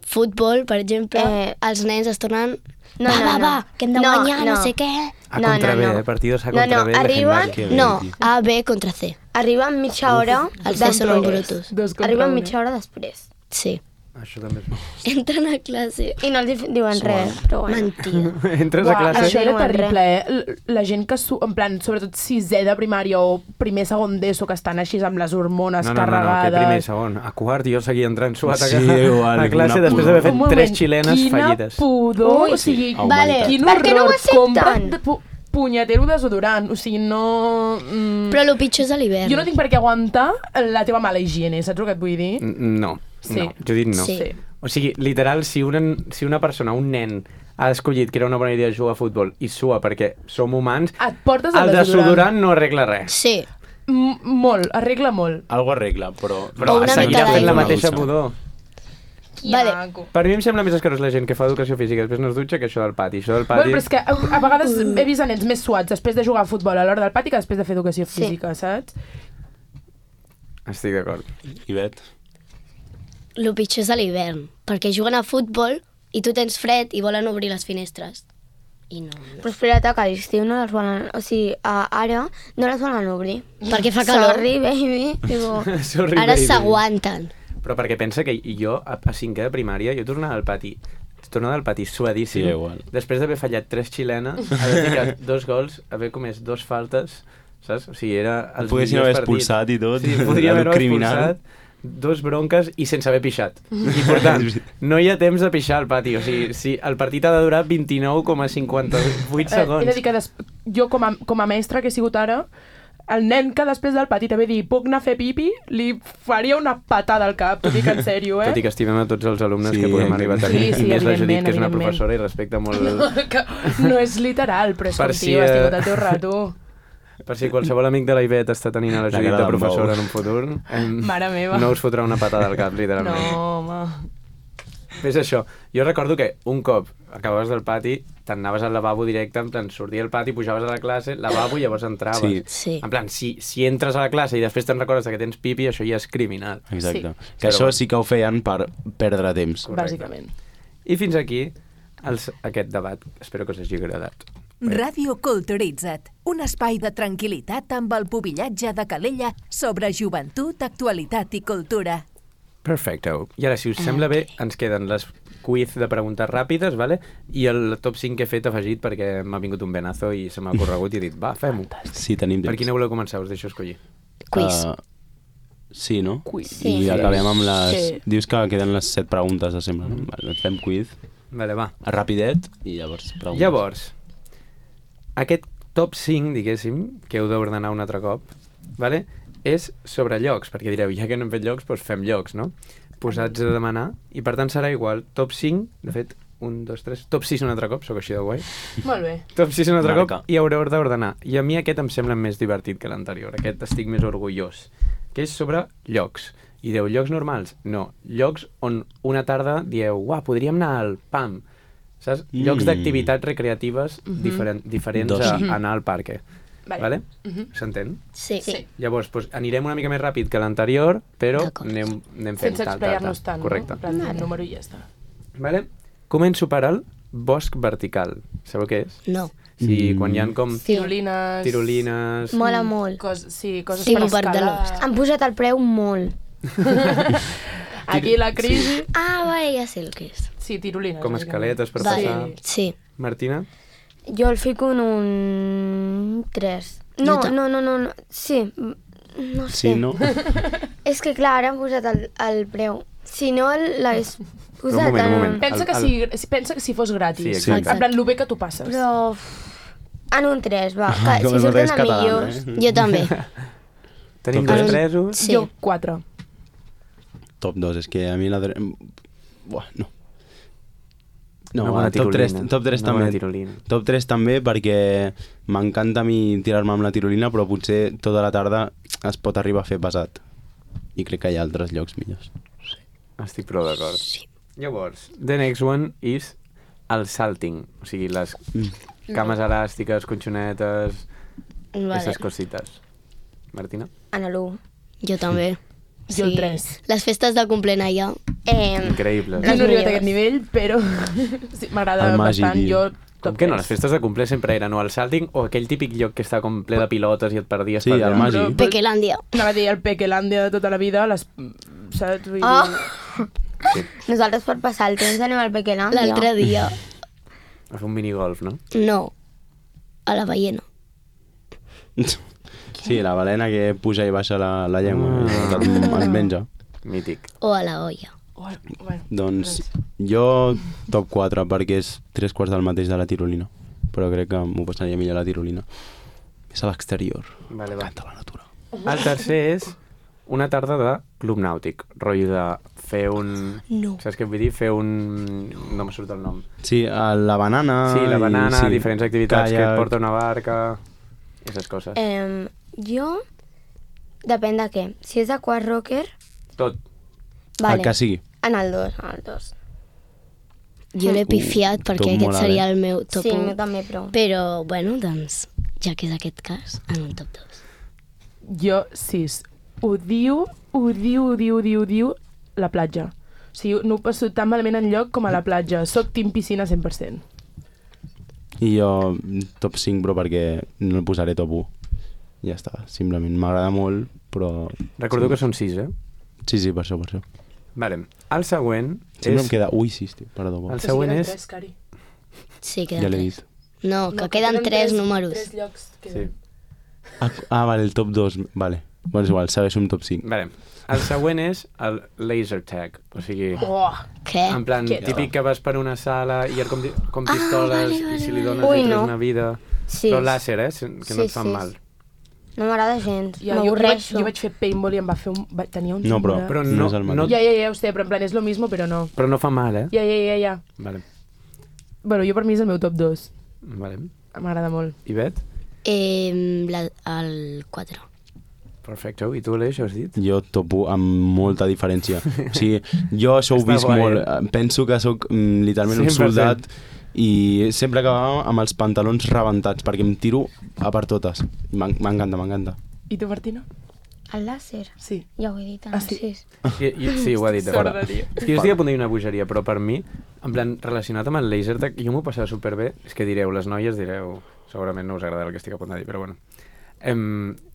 S5: futbol, per exemple, els nens es tornen va, que hem de guanyar, no sé què.
S2: A contra B, partidos a contra B.
S6: Arriben...
S5: No, A, B contra C.
S6: Arriben mitja hora
S5: Els C són brutos.
S6: Arriben mitja hora després.
S5: Sí.
S2: Això també és...
S5: Entren a classe.
S6: I no els diuen res, però bueno.
S5: Mentida.
S2: Entres a classe...
S3: Això era terrible, La gent que, en plan, sobretot sisè de primària o primer, segon d'ESO, que estan així amb les hormones carregades...
S2: No, que primer i segon. A quart jo seguia entrant suat a
S1: classe
S2: després d'haver fet 3 xilenes fallides.
S3: Quina pudor! O sigui,
S6: vale, per què no ho accepten?
S3: punyetero desodorant. O sigui, no...
S5: Però el pitjor és a l'hivern.
S3: Jo no tinc per què aguantar la teva mala higiene, saps el que et vull dir?
S2: No,
S3: Sí.
S2: no, jo dic no.
S5: Sí.
S2: O sigui, literal, si una persona, un nen, ha escollit que era una bona idea jugar a futbol i sua perquè som humans,
S3: Et portes
S2: el
S3: el
S2: desodorant no arregla res.
S5: Sí.
S3: Molt, arregla molt.
S1: Algo arregla, però...
S2: Però
S5: una
S2: seguirà
S5: mica
S2: fent la
S5: d'aigua.
S2: mateixa pudor.
S5: Vale.
S3: Maco.
S2: Per mi em sembla més escarós la gent que fa educació física després no es dutxa que això del pati. Això del pati...
S3: Bueno, però és que a vegades he vist a nens més suats després de jugar a futbol a l'hora del pati que després de fer educació
S6: Sí.
S3: física, saps?
S2: Estic d'acord.
S1: Ivet?
S5: El pitjor és a l'hivern, perquè juguen a futbol i tu tens fred i volen obrir les finestres. I no.
S6: Però espera't, que a l'estiu no les volen... O sigui, ara no les volen obrir.
S5: Perquè fa calor.
S6: Sorry, baby. Tipo,
S2: Sorry,
S5: Ara
S2: baby.
S5: s'aguanten.
S2: Però perquè pensa que jo, a cinquè de primària, jo tornava al pati suadíssim.
S1: Sí, igual.
S2: Després d'haver fallat 3 xilenes, haver ficat 2 gols, haver comès 2 faltes, saps? O sigui, era els
S1: Poguessin
S2: millors
S1: haver
S2: partits.
S1: expulsat i tot.
S2: Sí, podria haver
S1: criminal.
S2: expulsat, 2 bronques i sense haver pixat. I per tant, no hi ha temps de pixar al pati. O sigui, si el partit ha de durar 29,58 segons.
S3: He de dir que jo, com a mestra que he sigut ara, el nen que després del pati t'ha de dir puc anar a fer pipi, li faria una patada al cap, t'ho dic en sèrio,
S2: Tot i que estimem a tots els alumnes
S1: Sí,
S2: que podem arribar a tenir.
S3: Sí, sí,
S2: I més la Judit,
S3: evidentment,
S2: que és una
S3: evidentment.
S2: professora i respecta molt...
S3: Que no és literal, però és
S2: Per
S3: com,
S2: si,
S3: tio, has tingut el teu rato.
S2: Per si qualsevol amic de la Ivet està tenint a la
S1: La
S2: Judit
S1: cara
S2: de
S1: d'en
S2: professora
S1: Bou.
S2: en un futur,
S3: Mare meva.
S2: no us fotrà una patada al cap, literalment.
S3: No, home.
S2: És això. Jo recordo que un cop acabaves del pati, te'n anaves al lavabo directe, en plan, sortia al pati, pujaves a la classe, lavabo i llavors entraves.
S1: Sí.
S5: Sí.
S2: En plan, si entres a la classe i després te'n recordes que tens pipi, això ja és criminal.
S1: Exacte.
S3: Sí.
S1: Que això sí que ho feien per perdre temps.
S3: Bàsicament.
S2: I fins aquí aquest debat. Espero que us hagi agradat.
S7: Ràdio Culturitza't, un espai de tranquil·litat amb el pubillatge de Calella sobre joventut, actualitat i cultura.
S2: Perfecto. I ara, si us sembla bé, ens queden les quiz de preguntes ràpides, vale? I el top 5 que he fet afegit perquè m'ha vingut un venazo i se m'ha corregut i he dit, va, fem-ho.
S1: Sí, tenim temps.
S2: Per quina voleu començar? Us deixo escollir.
S5: Quiz.
S1: Sí, no?
S3: Quiz.
S5: Sí.
S1: I acabem amb les...
S3: Sí.
S1: Dius que queden les 7 preguntes, sembla, no? Vale, doncs fem quiz.
S2: Vale, va.
S1: Rapidet i llavors preguntes.
S2: Llavors, aquest top 5, diguéssim, que heu d'ordenar un altre cop, vale? És sobre llocs, perquè direu, ja que no hem fet llocs, doncs fem llocs, no? Posats a demanar, i per tant serà igual, top 5, de fet, 1, 2, 3, top 6 un altre cop, sóc així de guai,
S3: Molt bé.
S2: top 6 un altre
S1: Marca.
S2: cop, i haureu d'ordenar. I a mi aquest em sembla més divertit que l'anterior, aquest estic més orgullós, que és sobre llocs. I dieu, llocs normals? No, llocs on una tarda dieu, uah, podríem anar al PAM, saps? Llocs d'activitats recreatives diferents
S1: Dos.
S2: a anar al parc. Vale? S'entén?
S5: Sí.
S3: Sí.
S2: Llavors, doncs, anirem una mica més ràpid que l'anterior, però
S5: D'acord.
S2: anem fent
S3: Sense explayar-nos tant,
S2: Correcte.
S3: no? En plan, el número i ja està.
S2: Vale? Començo per al bosc vertical. Sabeu què és?
S5: No.
S2: Sí, quan hi ha com
S3: Tirolines...
S2: tirolines...
S6: mola molt.
S3: Sí, coses
S5: Tipo
S3: per
S5: parc de
S3: escalar.
S5: l'Ost.
S6: Han posat el preu molt.
S3: Aquí la crisi...
S5: Ah, vale, ja sé el que és.
S3: Sí, tirolines.
S2: Com
S3: bàsicament.
S2: escaletes per
S5: Vale.
S2: passar.
S5: Sí.
S2: Martina?
S6: Jo el fico en un 3. No,
S5: Jo
S6: no. Sí, no sé.
S1: Sí, no?
S6: És que clar, ara han posat el preu. Si no l'hagués posat...
S2: un moment.
S3: Pensa que si fos gratis.
S2: Sí, exacte.
S3: En plan, lo bé que tu passes.
S6: Però... En un 3, va. Que,
S1: Com
S6: si
S1: el mateix
S6: surten a
S1: català,
S6: millors...
S5: Jo també.
S2: Tenim
S1: Top
S2: dos
S1: tres.
S2: tresos.
S5: Sí.
S3: Jo 4.
S1: Top 2, és que a mi la... Buah, no. No,
S2: Una bona
S1: top 3
S2: tirolina. Una
S1: també.
S2: bona tirolina.
S1: Top 3 també perquè m'encanta a mi tirar-me amb la tirolina, però potser tota la tarda es pot arribar a fer pesat. I crec que hi ha altres llocs millors.
S2: Estic prou d'acord.
S5: Sí.
S2: Llavors, the next one is el salting. O sigui, les cames elàstiques, conxonetes,
S5: Vale.
S2: aquestes cosites. Martina?
S6: En l'1.
S5: Jo també.
S3: Jo el 3.
S5: Les festes de complement allà.
S2: Increïbles.
S3: Jo no he arribat a
S6: millors.
S3: aquest nivell, però sí, m'agrada
S1: El Magi,
S3: bastant.
S1: tio.
S3: Jo
S2: Com
S3: top
S2: que no?
S3: 3.
S2: Les festes de cumple sempre eren o el salting o aquell típic lloc que està com ple de pilotes i et perdies
S1: Sí,
S2: per allà.
S1: el Magi.
S5: Pequelàndia.
S3: Anava a dir el Pequelàndia de tota la vida, saps? Vull
S6: Oh!
S3: dir...
S6: Nosaltres per passar el temps anem al Pequelàndia.
S5: L'altre dia.
S2: A fer un minigolf, no?
S5: No. A la ballena.
S1: Sí, la balena que puja i baixa la llengua, et menja.
S2: Mític.
S5: O a la olla.
S3: Oh, bueno,
S1: Doncs jo top 4 perquè és 3 quarts del mateix de la tirolina. però crec que m'ho passaria millor a la tirolina. És a l'exterior.
S2: Vale, va.
S1: M'encanta la natura.
S2: El tercer és una tarda de club nàutic, rotllo de fer un...
S3: No.
S2: Saps què vull dir? Fer un... No me surt el nom.
S1: Sí, la banana...
S2: Sí, la banana,
S1: sí,
S2: diferents activitats que et
S1: caiac.
S2: porta una barca... I aquestes coses.
S6: Jo, depèn de què. Si és aquarocker,
S2: Tot.
S6: vale.
S1: El que sigui.
S6: En el 2.
S5: Jo l'he pifiat perquè
S1: tot
S5: aquest
S1: molt
S5: seria
S1: alt,
S5: el meu top
S6: Sí, el
S5: 1.
S6: meu també, però...
S5: Però, bueno, doncs, ja que és aquest cas, en un top 2.
S3: Jo, 6. Odio la platja. O sigui, no ho passo tan malament enlloc com a la platja. Soc team piscina 100%.
S1: I jo top 5, però perquè no el posaré top 1. Ja està, simplement. M'agrada molt, però...
S2: Recordo que són 6, eh?
S1: Sí, per això.
S2: Vale. El següent
S1: Sempre
S2: és...
S1: em queda... Ui, sí, perdó.
S2: El següent és...
S5: Sí,
S1: Ja
S5: queden
S1: l'he
S5: 3.
S1: dit.
S5: No, que queden 3 números.
S3: 3 llocs
S2: Sí.
S3: queden.
S1: Vale, el top 2, vale. Bueno, és igual, segueixo un top 5.
S2: Vale. El següent és el laser tag. O sigui,
S3: Oh,
S5: Què?
S2: en plan,
S3: Quieto.
S2: típic que vas per una sala i hi ha com pistoles
S5: vale,
S2: i si li dones
S6: Ui,
S2: li treus
S6: no.
S2: una vida.
S6: Sí.
S2: Però làser, que no et fan
S6: Sí.
S2: mal.
S6: No m'agrada gens.
S3: jo
S6: M'avorreixo.
S3: vaig fer paintball i em va fer un... Tenia un...
S1: No, però,
S3: timbre.
S2: Però
S1: no,
S2: no-
S1: és el
S2: no-
S1: mateix.
S3: Ja ho sé, però en plan és lo mismo, però no.
S2: Però no fa mal, eh?
S3: Ja.
S2: Vale.
S3: Bueno, jo per mi és el meu top 2.
S2: Vale.
S3: M'agrada molt.
S2: I Bet?
S5: El 4.
S2: Perfecte. I tu, Aleix, has dit?
S1: Jo topo amb molta diferència. O sigui, jo això ho
S2: Està
S1: visc
S2: guai,
S1: molt. Penso que sóc literalment un
S2: 100%.
S1: soldat i sempre acabava amb els pantalons rebentats perquè em tiro a per totes. M'encanta.
S3: I tu, Martina?
S6: El làser?
S3: Sí.
S6: Ja ho he dit,
S3: Ah, sí?
S6: sí.
S2: Sí, ho ha dit, de fora.
S3: Sorda, tio.
S2: És que jo estic a punt de dir una bogeria, però per mi, en plan, relacionat amb el laser tag, jo m'ho passava superbé. És que direu, les noies direu, segurament no us agrada el que estic a punt de dir, però bueno.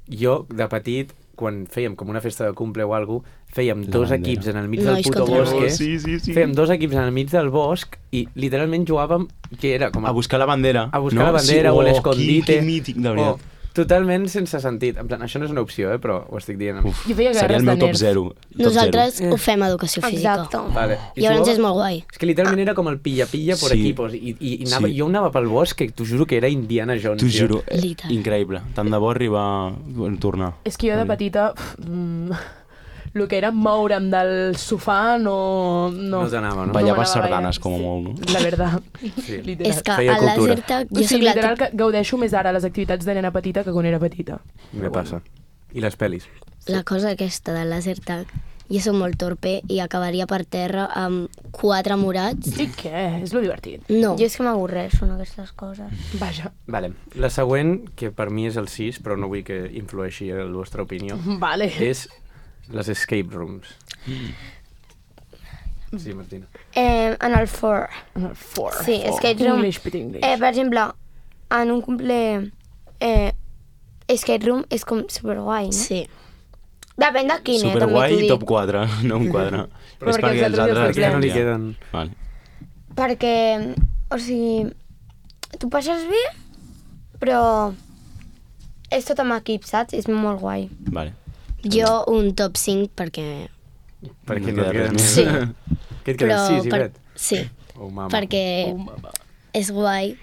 S2: Jo, de petit, quan fèiem com una festa de cumple o alguna cosa, fèiem
S1: La
S2: dos
S1: bandera.
S2: equips en el mig
S5: Nois
S2: del puto
S5: contra
S2: bosc.
S1: Sí.
S2: Fèiem dos equips en el mig del bosc i literalment jugàvem, que era com
S1: A buscar la bandera.
S2: a buscar la bandera o l'escondite.
S1: Que mític, de veritat.
S2: Totalment sense sentit. En plan, això no és una opció, però ho estic dient.
S1: Uf,
S3: Jo feia
S1: seria
S3: guerres
S1: el meu
S3: de
S1: top
S3: nerf.
S1: 0.
S5: Nosaltres ho fem a educació física.
S6: Exacte.
S2: Vale.
S5: I llavors és molt guai.
S2: És que literalment era com el pilla-pilla per
S1: Sí.
S2: equipos. I anava,
S1: Sí.
S2: jo anava pel bosc que t'ho juro que era Indiana Jones.
S1: T'ho
S2: tio.
S1: juro,
S5: Literal.
S1: increïble. Tant de bo arribar a tornar.
S3: És que jo de petita... el que era moure'm del sofà no...
S2: No t'anava, no?
S1: Ballava
S3: m'anava
S1: sardanes
S3: gaire,
S1: com a
S3: sí.
S1: molt, no?
S3: La veritat.
S2: Sí.
S3: Literal.
S5: És que
S2: Feia
S5: al
S2: cultura.
S5: laser tag
S3: O
S5: jo soc
S3: sigui,
S5: la
S3: literal, que gaudeixo més ara les activitats de nena petita que quan era petita.
S2: Me passa. I les pel·lis.
S5: La cosa aquesta del laser tag, jo soc molt torpe i acabaria per terra amb 4 morats.
S3: I què? És lo divertit.
S5: No.
S6: Jo és que m'avorreixo en aquestes coses.
S3: Vaja.
S2: Vale. La següent, que per mi és el 6, però no vull que influeixi en la vostra opinió,
S3: Vale.
S2: és les escape rooms. Sí, Martina.
S6: En el 4.
S3: Four.
S6: Sí, escape room.
S3: English, pit English.
S6: Per exemple, en un cumple... escape room és com superguai, no?
S5: Sí.
S6: Depèn de quin, també
S1: Superguai
S6: t'ho
S1: i
S6: dic.
S1: top 4, no un quadre.
S3: Però
S1: és
S3: perquè
S1: perquè
S3: els
S1: els
S3: altres
S1: altres...
S2: Ja no li
S1: ja.
S2: queden...
S1: Vale.
S6: Perquè, o sigui, tu passes bé, però és tot amb equip, saps? És molt guai.
S1: Vale.
S5: Jo un top 5 perquè...
S2: Perquè
S1: No
S2: no
S1: queda
S2: et
S1: res
S2: queden
S1: més.
S5: Sí.
S2: Què et queden? 6 i
S5: per...
S2: Bet?
S5: Sí,
S2: Oh, mama.
S5: perquè
S3: Oh, mama.
S5: és guai.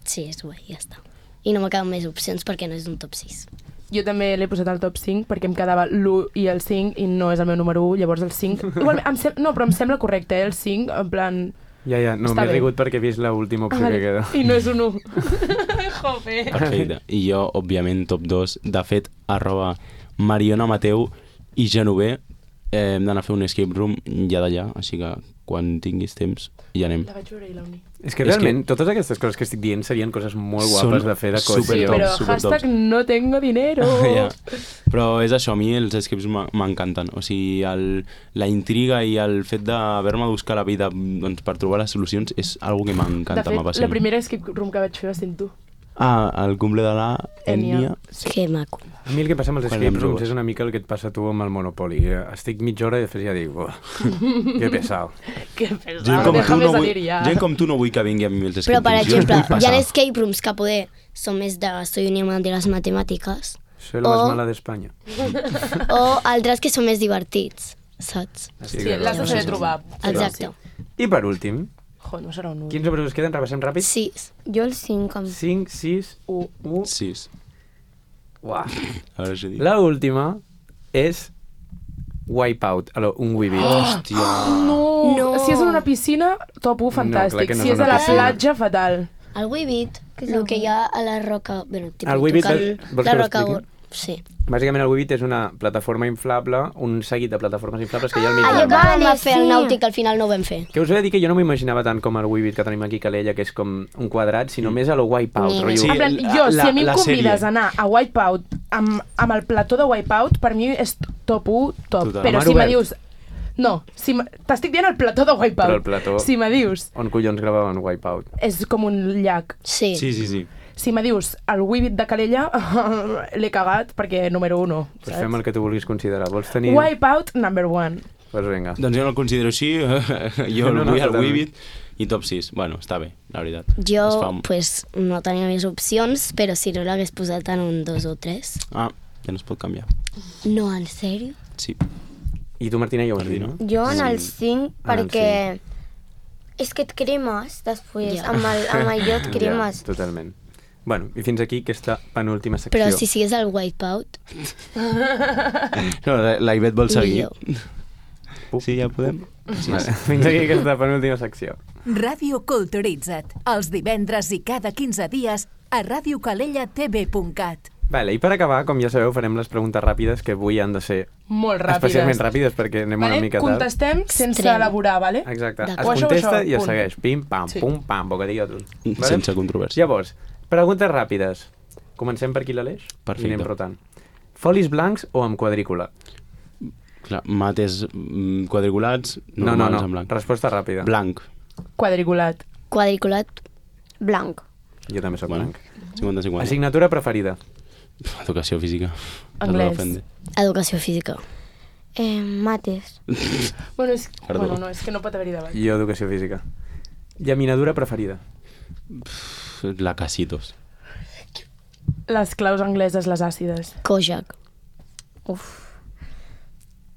S5: Sí, és guai, ja està. I no m'acaben més opcions perquè no és un top 6.
S3: Jo també l'he posat al top 5 perquè em quedava l'1 i el 5 i no és el meu número 1, llavors el 5... Igual, no, però em sembla correcte, el 5, en plan...
S2: Ja, no,
S3: Està
S2: m'he
S3: bé.
S2: rigut perquè he vist l'última opció que queda.
S3: I no és un 1. Joder.
S1: Perfecte. I jo, òbviament, top 2. De fet, @Mariona Mateu i Genover hem d'anar a fer un escape room ja d'allà, així que quan tinguis temps ja anem.
S3: La vaig veure i la uni.
S2: És que
S1: És
S2: realment totes aquestes coses que estic dient serien coses molt guapes
S1: Són
S2: de fer de
S1: super
S2: cohesió.
S1: top.
S3: Però
S1: supertops.
S3: hashtag no tengo dinero.
S1: Ja. Però és això, a mi els escapes m'encanten. O sigui, la intriga i el fet d'haver-me de buscar la vida doncs, per trobar les solucions és algo que
S3: De
S1: m'encanta,
S3: fet, la
S1: m'apassiona.
S3: primera escape room que vaig fer va ser amb tu.
S1: El cumple de la Ènia.
S5: Que maco.
S2: A mi el que passa amb els
S1: Quan
S2: escape
S1: érem
S2: rooms
S1: joves.
S2: és una mica el que et passa a tu amb el Monopoly. Estic mitja hora i després ja dic, "Buah, que pesado".
S3: Que
S1: Gent
S3: pesado,
S1: com, tu
S3: déjame
S1: no vull,
S3: salir ja.
S1: gent com tu no vull que vingui a mi els escape
S5: Però, per
S1: rooms. Jo els
S5: exemple,
S1: vull
S5: hi ha
S1: passar.
S5: escape rooms que poder són més de soy un imán de les matemàtiques
S2: Soy la más
S5: O-
S2: mala d'Espanya.
S5: o altres que són més divertits, saps?
S2: Estic
S3: Sí,
S2: d'acord.
S3: l'has de saber trobar.
S5: Exacte.
S2: I per últim,
S3: No serà un 1.
S2: Quins números us queden? Repassem ràpid.
S5: 6.
S6: Jo el 5.
S2: 5, 6, 1, 1...
S1: 6.
S2: Uah.
S1: A veure si dic.
S2: La última és Wipeout, un Weebit.
S1: Hòstia.
S3: No. Si és en una piscina, top 1, fantàstic.
S2: clar que no
S3: Si
S2: és
S3: és a
S2: una
S3: la
S2: piscina.
S3: platja, fatal.
S5: El Weebit, el que hi ha a la roca... Bueno,
S2: El Weebit, vols
S5: la
S2: que
S5: roca...
S2: l'expliqui?
S5: Sí.
S2: Bàsicament el Weebit és una plataforma inflable, un seguit de plataformes inflables que hi ha al mig
S5: Allò
S2: del
S5: que
S2: mar.
S5: vam
S6: Vale,
S5: fer el
S6: sí.
S5: nàutic, al final no ho vam fer.
S2: Que us he de dir que jo no m'imaginava tant com el Weebit que tenim aquí a Calella, que és com un quadrat, sinó més a lo Wipeout.
S5: Ni-
S2: rotllo.
S1: Sí,
S3: En plan, jo, si a mi em convides a anar a Wipeout amb el plató de Wipeout, per mi és top 1, top.
S1: Total.
S3: Però
S2: Mar
S3: si me
S2: obert.
S3: dius... No, t'estic dient el plató de Wipeout.
S2: Però el plató-
S3: Si me dius,
S2: On collons gravaven Wipeout?
S3: és com un llac.
S5: Sí.
S1: Sí.
S3: Si me dius el Weebit de Calella, l'he cagat perquè número 1.
S2: Pues fem el que tu vulguis considerar. Vols tenir...
S3: Wipeout number 1.
S2: Pues vinga.
S1: Doncs jo no el considero així, jo
S2: No,
S1: el vull al
S2: totalment.
S1: Weebit i top 6. Bueno, està bé, la veritat.
S5: Jo,
S1: Es fa-
S5: pues, no tenia més opcions, però si no l'hagués posat en un 2 o 3.
S1: Ah, ja no es pot canviar.
S5: No, en sèrio?
S1: Sí.
S2: I tu, Martina, ja ho has dit, no?
S6: Jo en el 5
S2: En el
S6: perquè... És que et cremes després,
S5: Ja.
S6: amb allò et cremes.
S2: Ja, totalment. Bueno, i fins aquí aquesta penúltima secció.
S5: Però si sigués el Wipeout,
S1: No, la Ivet vol seguir.
S2: Puc?
S1: Sí, ja podem? Sí,
S2: Vale, fins aquí aquesta penúltima secció.
S7: Ràdio Culturitza't, els divendres i cada 15 dies a radiocalellatv.cat.
S2: Vale, i per acabar, com ja sabeu, farem les preguntes ràpides que avui han de ser
S3: Molt ràpides.
S2: especialment ràpides perquè anem una mica tard.
S3: Contestem sense
S5: Extrem.
S3: elaborar, vale?
S2: Exacte. Es
S5: D'acord.
S2: contesta
S3: Això,
S2: i es
S3: punt.
S2: segueix. Pim, pam,
S3: Sí.
S2: pum, pam, bocadillo tu.
S1: Sense controvèrsia.
S2: Llavors, preguntes ràpides. Comencem per aquí l'Aleix?
S1: Perfecte.
S2: I anem rotant. Folis blancs o amb quadrícula?
S1: Clar, mates quadriculats,
S2: No,
S1: normals en blanc.
S2: Resposta ràpida.
S1: Blanc.
S3: Quadriculat.
S5: quadriculat,
S6: Blanc.
S2: Jo també sóc
S1: Bueno,
S2: blanc.
S1: 50-50.
S2: Assignatura preferida?
S1: Educació física.
S3: Anglès.
S1: Ofende.
S5: educació física.
S6: Mates.
S3: Bueno,
S1: Perdó.
S3: bueno, no, és que no pot haver-hi debat.
S2: Jo, educació física. Llaminadura preferida?
S1: La Casitos.
S3: Les claus angleses, les àcides.
S5: Kojak.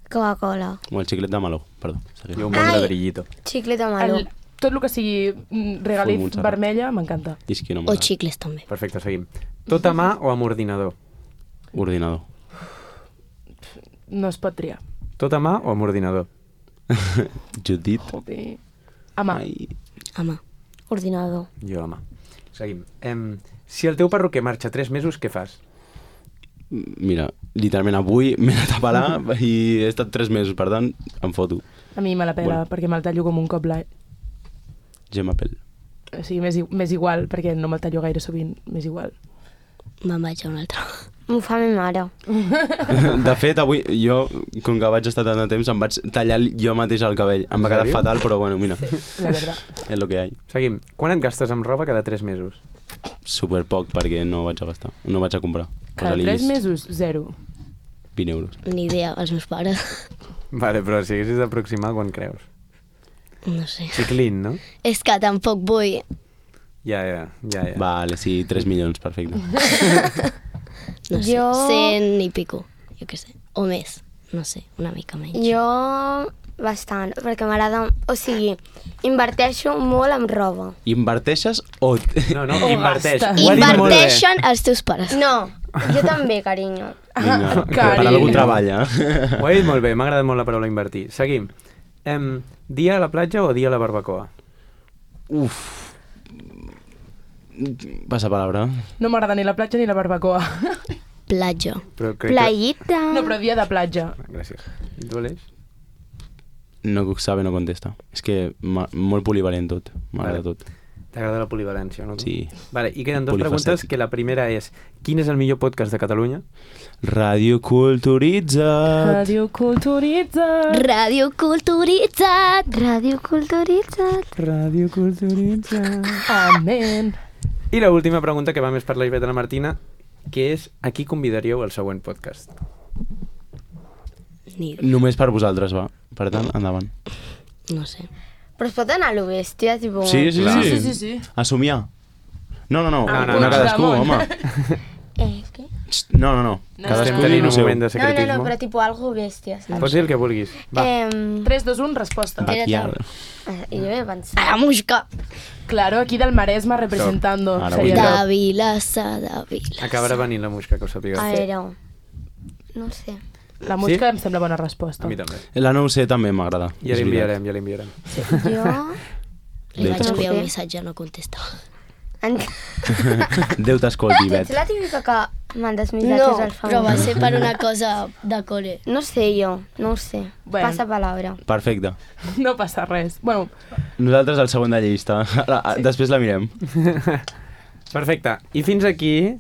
S6: Coca-Cola.
S1: O el xiclet de meló, perdó.
S2: Jo un bon
S6: Ai.
S2: ladrillito.
S6: Xiclet de meló.
S3: Tot el que sigui
S1: Full
S3: regalit
S1: Montserrat.
S3: vermella m'encanta.
S1: I és que no
S5: O
S1: m'agrada.
S5: xicles també.
S2: Perfecte, seguim. Tot a mà o amb ordinador?
S1: Ordinador.
S3: No es pot triar.
S2: Tot a mà o amb ordinador?
S1: Judit.
S3: Joder. A mà.
S1: Ai.
S5: Home,
S6: Ordinador.
S2: Jo a mà. Seguim. Si el teu perruquer marxa 3 mesos, què fas?
S1: Mira, literalment avui m'he anat a pelar i he estat 3 mesos, per tant, em foto.
S3: A mi me la pela,
S1: Bueno.
S3: perquè me'l tallo com un cop l'any.
S1: Gemma Pell.
S3: O sigui, més igual, perquè no me'l tallo gaire sovint, més igual.
S5: me'n vaig a un altre.
S6: M'ho fa ma mare.
S1: De fet, avui jo, com que vaig estar tant de temps, em vaig tallar jo mateix el cabell. Em va quedar
S2: sèrio?
S1: fatal, però bueno, mira,
S3: La veritat.
S1: és lo que hi ha.
S2: Seguim. Quan et gastes amb roba cada 3 mesos?
S1: Super poc, perquè no vaig a gastar. No vaig a comprar.
S3: Cada
S1: Posa-li
S3: 3 mesos, 0.
S1: 20 euros.
S5: Ni idea, els meus pares.
S2: Vale, però si haguessis d'aproximar, quan creus?
S5: No sé.
S2: Xiclín, no?
S5: És que tampoc vull...
S2: Ja.
S1: Vale, sí, 3 milions, perfecte.
S5: No sé,
S6: Jo-
S5: 100 i pico, jo què sé. O més, no sé, una mica menys.
S6: Jo bastant, perquè m'agrada... O sigui, inverteixo molt en roba.
S1: Inverteixes o...
S2: No, no,
S3: O
S2: inverteix.
S3: gastes.
S2: Ho ha dit molt bé.
S5: Inverteixen els teus pares.
S6: No, jo també, carinyo.
S1: Vinga,
S3: Cari.
S1: per algú treballa.
S2: Ho ha dit molt bé, m'ha agradat molt la paraula invertir. Seguim. Dia a la platja o dia a la barbacoa?
S1: Uf. Passa palabra.
S3: No m'agrada ni la platja ni la barbacoa.
S5: Platja.
S2: Però crec
S6: Playita.
S3: No, però dia de platja.
S2: Que... Gràcies. I tu, Aleix?
S1: No sabe, no contesta. És que molt polivalent tot. M'agrada
S2: Vale.
S1: tot.
S2: T'agrada la polivalència, no? tu?
S1: Sí.
S2: Vale, i queden 2
S1: Polifacètic.
S2: preguntes, que la primera és quin és el millor podcast de Catalunya?
S1: Ràdio Culturitzat.
S3: Ràdio Culturitzat.
S5: Ràdio Culturitzat.
S6: Ràdio Culturitzat.
S2: Ràdio Culturitzat.
S3: Amén.
S2: I la última pregunta, que va més per la Ivet i la Martina, que és a qui convidaríeu al següent podcast?
S5: Ni...
S1: Només per vosaltres, va. Per tant, endavant.
S5: No sé.
S6: Però es pot anar a lo bèstia, tipo...
S1: Sí.
S2: Clar.
S3: Sí.
S1: A somiar. No.
S2: no,
S1: Una
S2: no.
S1: cadascú,
S3: Puigdemont.
S1: home.
S6: Què?
S1: No.
S2: Estem
S1: Cadascú
S2: tenint
S1: diu
S2: un
S1: el seu.
S2: moment de
S6: No,
S2: secretismo.
S6: però tipus algo bèstia, saps?
S2: Pots dir el que vulguis. Va.
S3: 3, 2, 1, resposta.
S1: Backyard.
S6: Jo he pensat.
S5: La Muixca.
S3: Claro, aquí del Maresme representando.
S1: Ara
S3: Seria
S1: vull
S5: De Vilassar, de Vilassar.
S2: Acabarà venint la Muixca, que ho sàpiga.
S6: A veure, no sé.
S3: La Muixca em sembla bona resposta.
S2: A mi també.
S1: La no ho sé, també m'agrada.
S2: Ja
S1: és veritat.
S2: l'enviarem.
S6: Jo...
S5: Li vaig
S1: Déu
S5: enviar un
S6: Sí.
S5: missatge, no contesta.
S1: Déu t'escolti, Bet.
S6: Ets la típica que mandes
S5: No,
S6: missatges al
S5: però va
S6: famós.
S5: ser per una cosa de col·le.
S6: No sé jo, no ho sé.
S3: Bueno.
S6: Passa palabra.
S1: Perfecte.
S3: No passa res. Bueno,
S1: Nosaltres al segon de llista. Després la mirem.
S2: Perfecte. I fins aquí...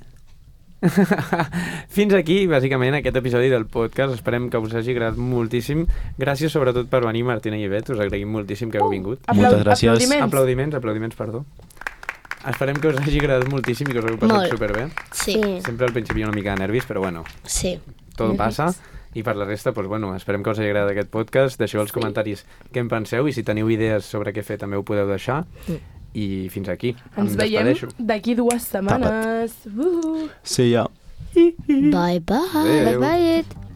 S2: fins aquí, bàsicament, aquest episodi del podcast. Esperem que us hagi agradat moltíssim. Gràcies, sobretot, per venir, Martina i Bet. Us agraïm moltíssim que heu vingut.
S1: Moltes gràcies.
S3: Aplaudiments.
S2: Perdó. Esperem que us hagi agradat moltíssim i que us hagueu passat
S5: Molt.
S2: superbé.
S5: Sí,
S2: Sempre al principi una mica de nervis, però bueno,
S5: sí.
S2: tot passa. I per la resta, doncs, bueno, esperem que us hagi agradat aquest podcast. Deixeu als comentaris què en penseu i si teniu idees sobre què fer també ho podeu deixar. I fins aquí.
S3: Ens
S2: Em
S3: veiem
S2: despedeixo.
S3: d'aquí 2 setmanes.
S1: See ya.
S5: Bye, bye.
S2: Adéu.
S6: Bye, bye.